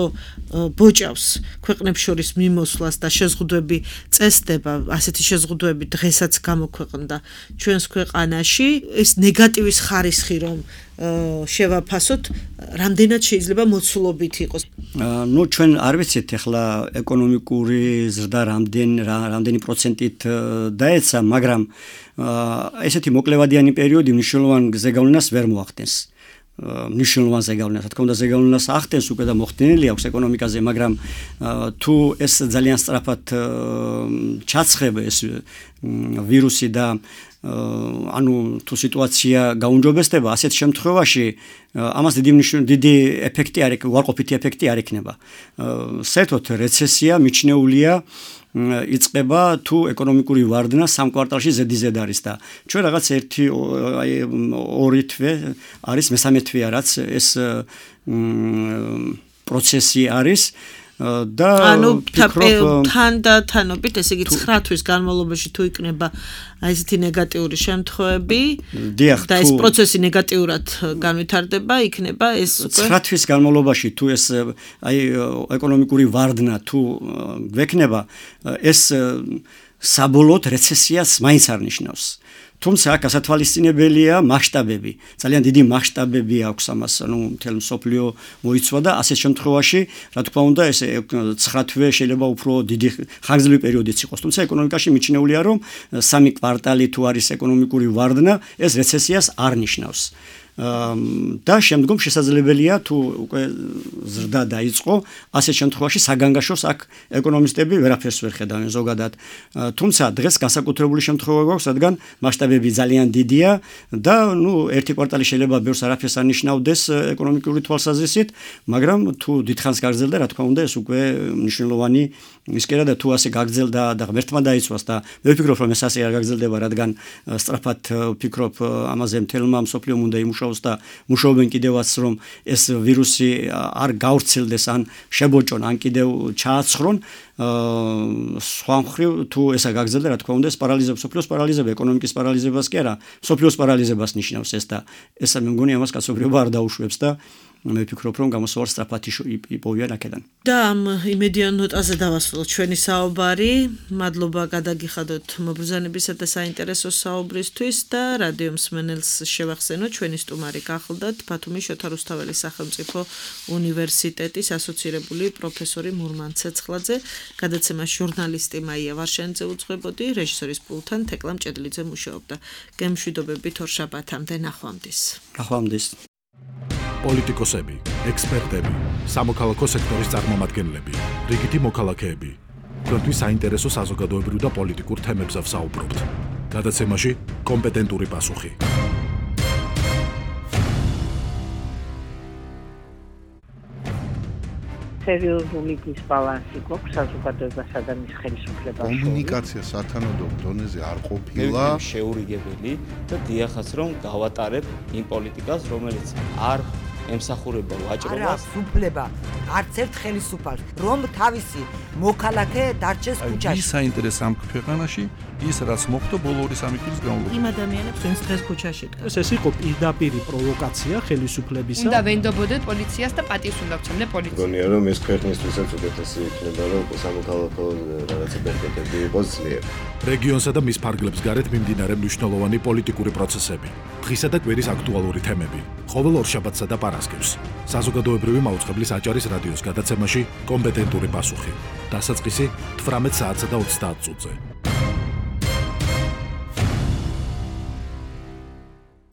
ბოჭავს ქვეყნებს შორის მიმოსვლას და შეზღუდვები წესდება, ასეთი შეზღუდვები დღესაც გამოქვეყნდა ჩვენს ქვეყანაში, ეს ნეგატივის ხარისხი რომ შევაფასოთ, რამდენად შეიძლება მოცულობით იყოს. ნუ ჩვენ არ ვიცით ახლა ეკონომიკური ზრდა რამდენ რამდენი პროცენტით დაეცა, მაგრამ ესეთი მოკლევადიანი პერიოდი მნიშვნელოვან ზეგავლენას ვერ მოახდენს. მნიშვნელოვან ზეგავლენას, რა თქმა უნდა, ზეგავლენას ახდენს უკვე და მოხდენილი აქვს ეკონომიკაზე, მაგრამ თუ ეს ძალიან სწრაფად ჩაცხება ეს ვირუსი და ანუ თუ სიტუაცია გაუმჯობესდება, ასეთ შემთხვევაში ამას დიდი დიდი ეფექტი არ იქნება, უარყოფითი ეფექტი არ იქნება. საერთოდ რეცესია მიჩნეულია იწყება თუ ეკონომიკური ვარდნა სამ კვარტალში ზედიზედ არის და ჩვენ რაღაც ერთი აი ორი თვე არის, მესამე თვეა რაც ეს პროცესი არის და ანუ თანდათანობით, ესე იგი ცხრა თვის განმავლობაში თუ იქნება აი ესეთი ნეგატიური შემთხვევები და ეს პროცესი ნეგატიურად განვითარდება, იქნება ეს უკვე ცხრა თვის განმავლობაში თუ ეს აი ეკონომიკური ვარდნა თუ გვექნება, ეს საბოლოოდ რეცესიას მაინც არ ნიშნავს. თუმცა გასათვალისწინებელია მასშტაბები. ძალიან დიდი მასშტაბები აქვს ამას, ანუ მთელ მსოფლიო მოიცვა და ასეთ შემთხვევაში, რა თქმა უნდა, ეს ცხრა თვე შეიძლება უფრო დიდი ხანგრძლივი პერიოდიც იყოს. თუმცა ეკონომიკაში მიჩნეულია, რომ სამი კვარტალი თუ არის ეკონომიკური ვარდნა, ეს რეცესიას არ ნიშნავს. და შემდგომ შესაძლებელია თუ უკვე ზრდა დაიწყო, ასეთ შემთხვევაში საგანგაშოს აქ ეკონომისტები ვერაფერს ვერ ხედავენ ზოგადად. თუმცა დღეს განსაკუთრებული შემთხვევა გვაქვს, რადგან მასშტაბები ძალიან დიდია და ნუ ერთი კვარტალი შეიძლება ბევრს არაფერს არ ნიშნავდეს ეკონომიკური თვალსაზრისით, მაგრამ თუ დიდხანს გაგრძელდა, რა თქმა უნდა, ეს უკვე მნიშვნელოვანი ისკერა და თუ ასე გაგრძელდა და ღმერთმა დაიცვას და მე ვფიქრობ, რომ ეს ასე არ გაგრძელდება, რადგან სწრაფად ვფიქრობ ამაზე მთელმა მსოფლიომ უნდა იმუშაოს და მუშაობენ კიდევაც, რომ ეს ვირუსი არ გავრცელდეს ან შებოჭონ, ან კიდევ ჩააცხრონ. სხვა მხრივ თუ ესა გაგრძელდა, რა თქმა უნდა, ეს პარალიზებს სოფლიოს პარალიზება, ეკონომიკის პარალიზებას კი არა, სოფლიოს პარალიზებას ნიშნავს ეს და ესა მე მგონი ამას კაცობრიობა არ დაუშვებს და მე ვფიქრობ, რომ გამოსავალი სწრაფად იპოვიან აქედან. და ამ იმედიან ნოტაზე დავასრულოთ ჩვენი საუბარი. მადლობა გადაგიხადოთ მობრძანებისა და საინტერესო საუბრისთვის და რადიო მსმენელს შევახსენოთ, ჩვენი სტუმარი გახლდათ ბათუმის შოთა რუსთაველის სახელმწიფო უნივერსიტეტის ასოცირებული პროფესორი მურმან ცეცხლაძე, გადაცემას ჟურნალისტი მაია ვარშენიძე უძღვებოდი, რეჟისორის პულტთან თეკლა მჭედლიძე მუშაობდა. გემშვიდობებით ორშაბათამდე, ნახვამდის. ნახვამდის. პოლიტიკოსები, ექსპერტები, სამოქალაქო სექტორის წარმომადგენლები, რიგითი მოქალაქეები. თქვენთვის საინტერესო საზოგადოებრივ და პოლიტიკურ თემებზე ვსაუბრობთ. გადაცემაში კომპეტენტური პასუხი. სერიოზული დისბალანსი გვაქვს საზოგადოებასა და მის ხელისუფლებას. კომუნიკაცია სათანადო დონეზე არ ყოფილა. შეურიგებელი და დიახაც რომ გავატარებ იმ პოლიტიკას, რომელიც არ ემსახურება ვაჭრობას. არა, უფლება არც ერთ ხელისუფალს, რომ თავისი მოქალაქე დარჩეს ქუჩაში. ის საინტერესო ამ ქვეყანაში ის რაც მოხდა ბოლო ორი სამი წლის განმავლობაში. იმ ადამიანებს, ვინც დღეს ქუჩაში დგას. ეს იყო პირდაპირი პროვოკაცია ხელისუფლებისა. უნდა ვენდობოდეთ პოლიციას და პატივს უნდა ვცემდე პოლიციას. მგონია რომ ეს ქვეყნისთვისაც უკეთესი იქნება, რომ სამოქალაქო რაღაცა პერპეტები იყოს ძლიერ. რეგიონსა და მის ფარგლებს გარეთ მიმდინარე მნიშვნელოვანი პოლიტიკური პროცესები, დღისა და კვირის აქტუალური თემები, ყოველ ორშაბათსა და პარასკევს. საზოგადოებრივი მაუწყებლის აჭარის რადიოს გადაცემაში კომპეტენტური პასუხი. დასაწყისი თვრამეტ საათსა და ოცდაათ წუთზე.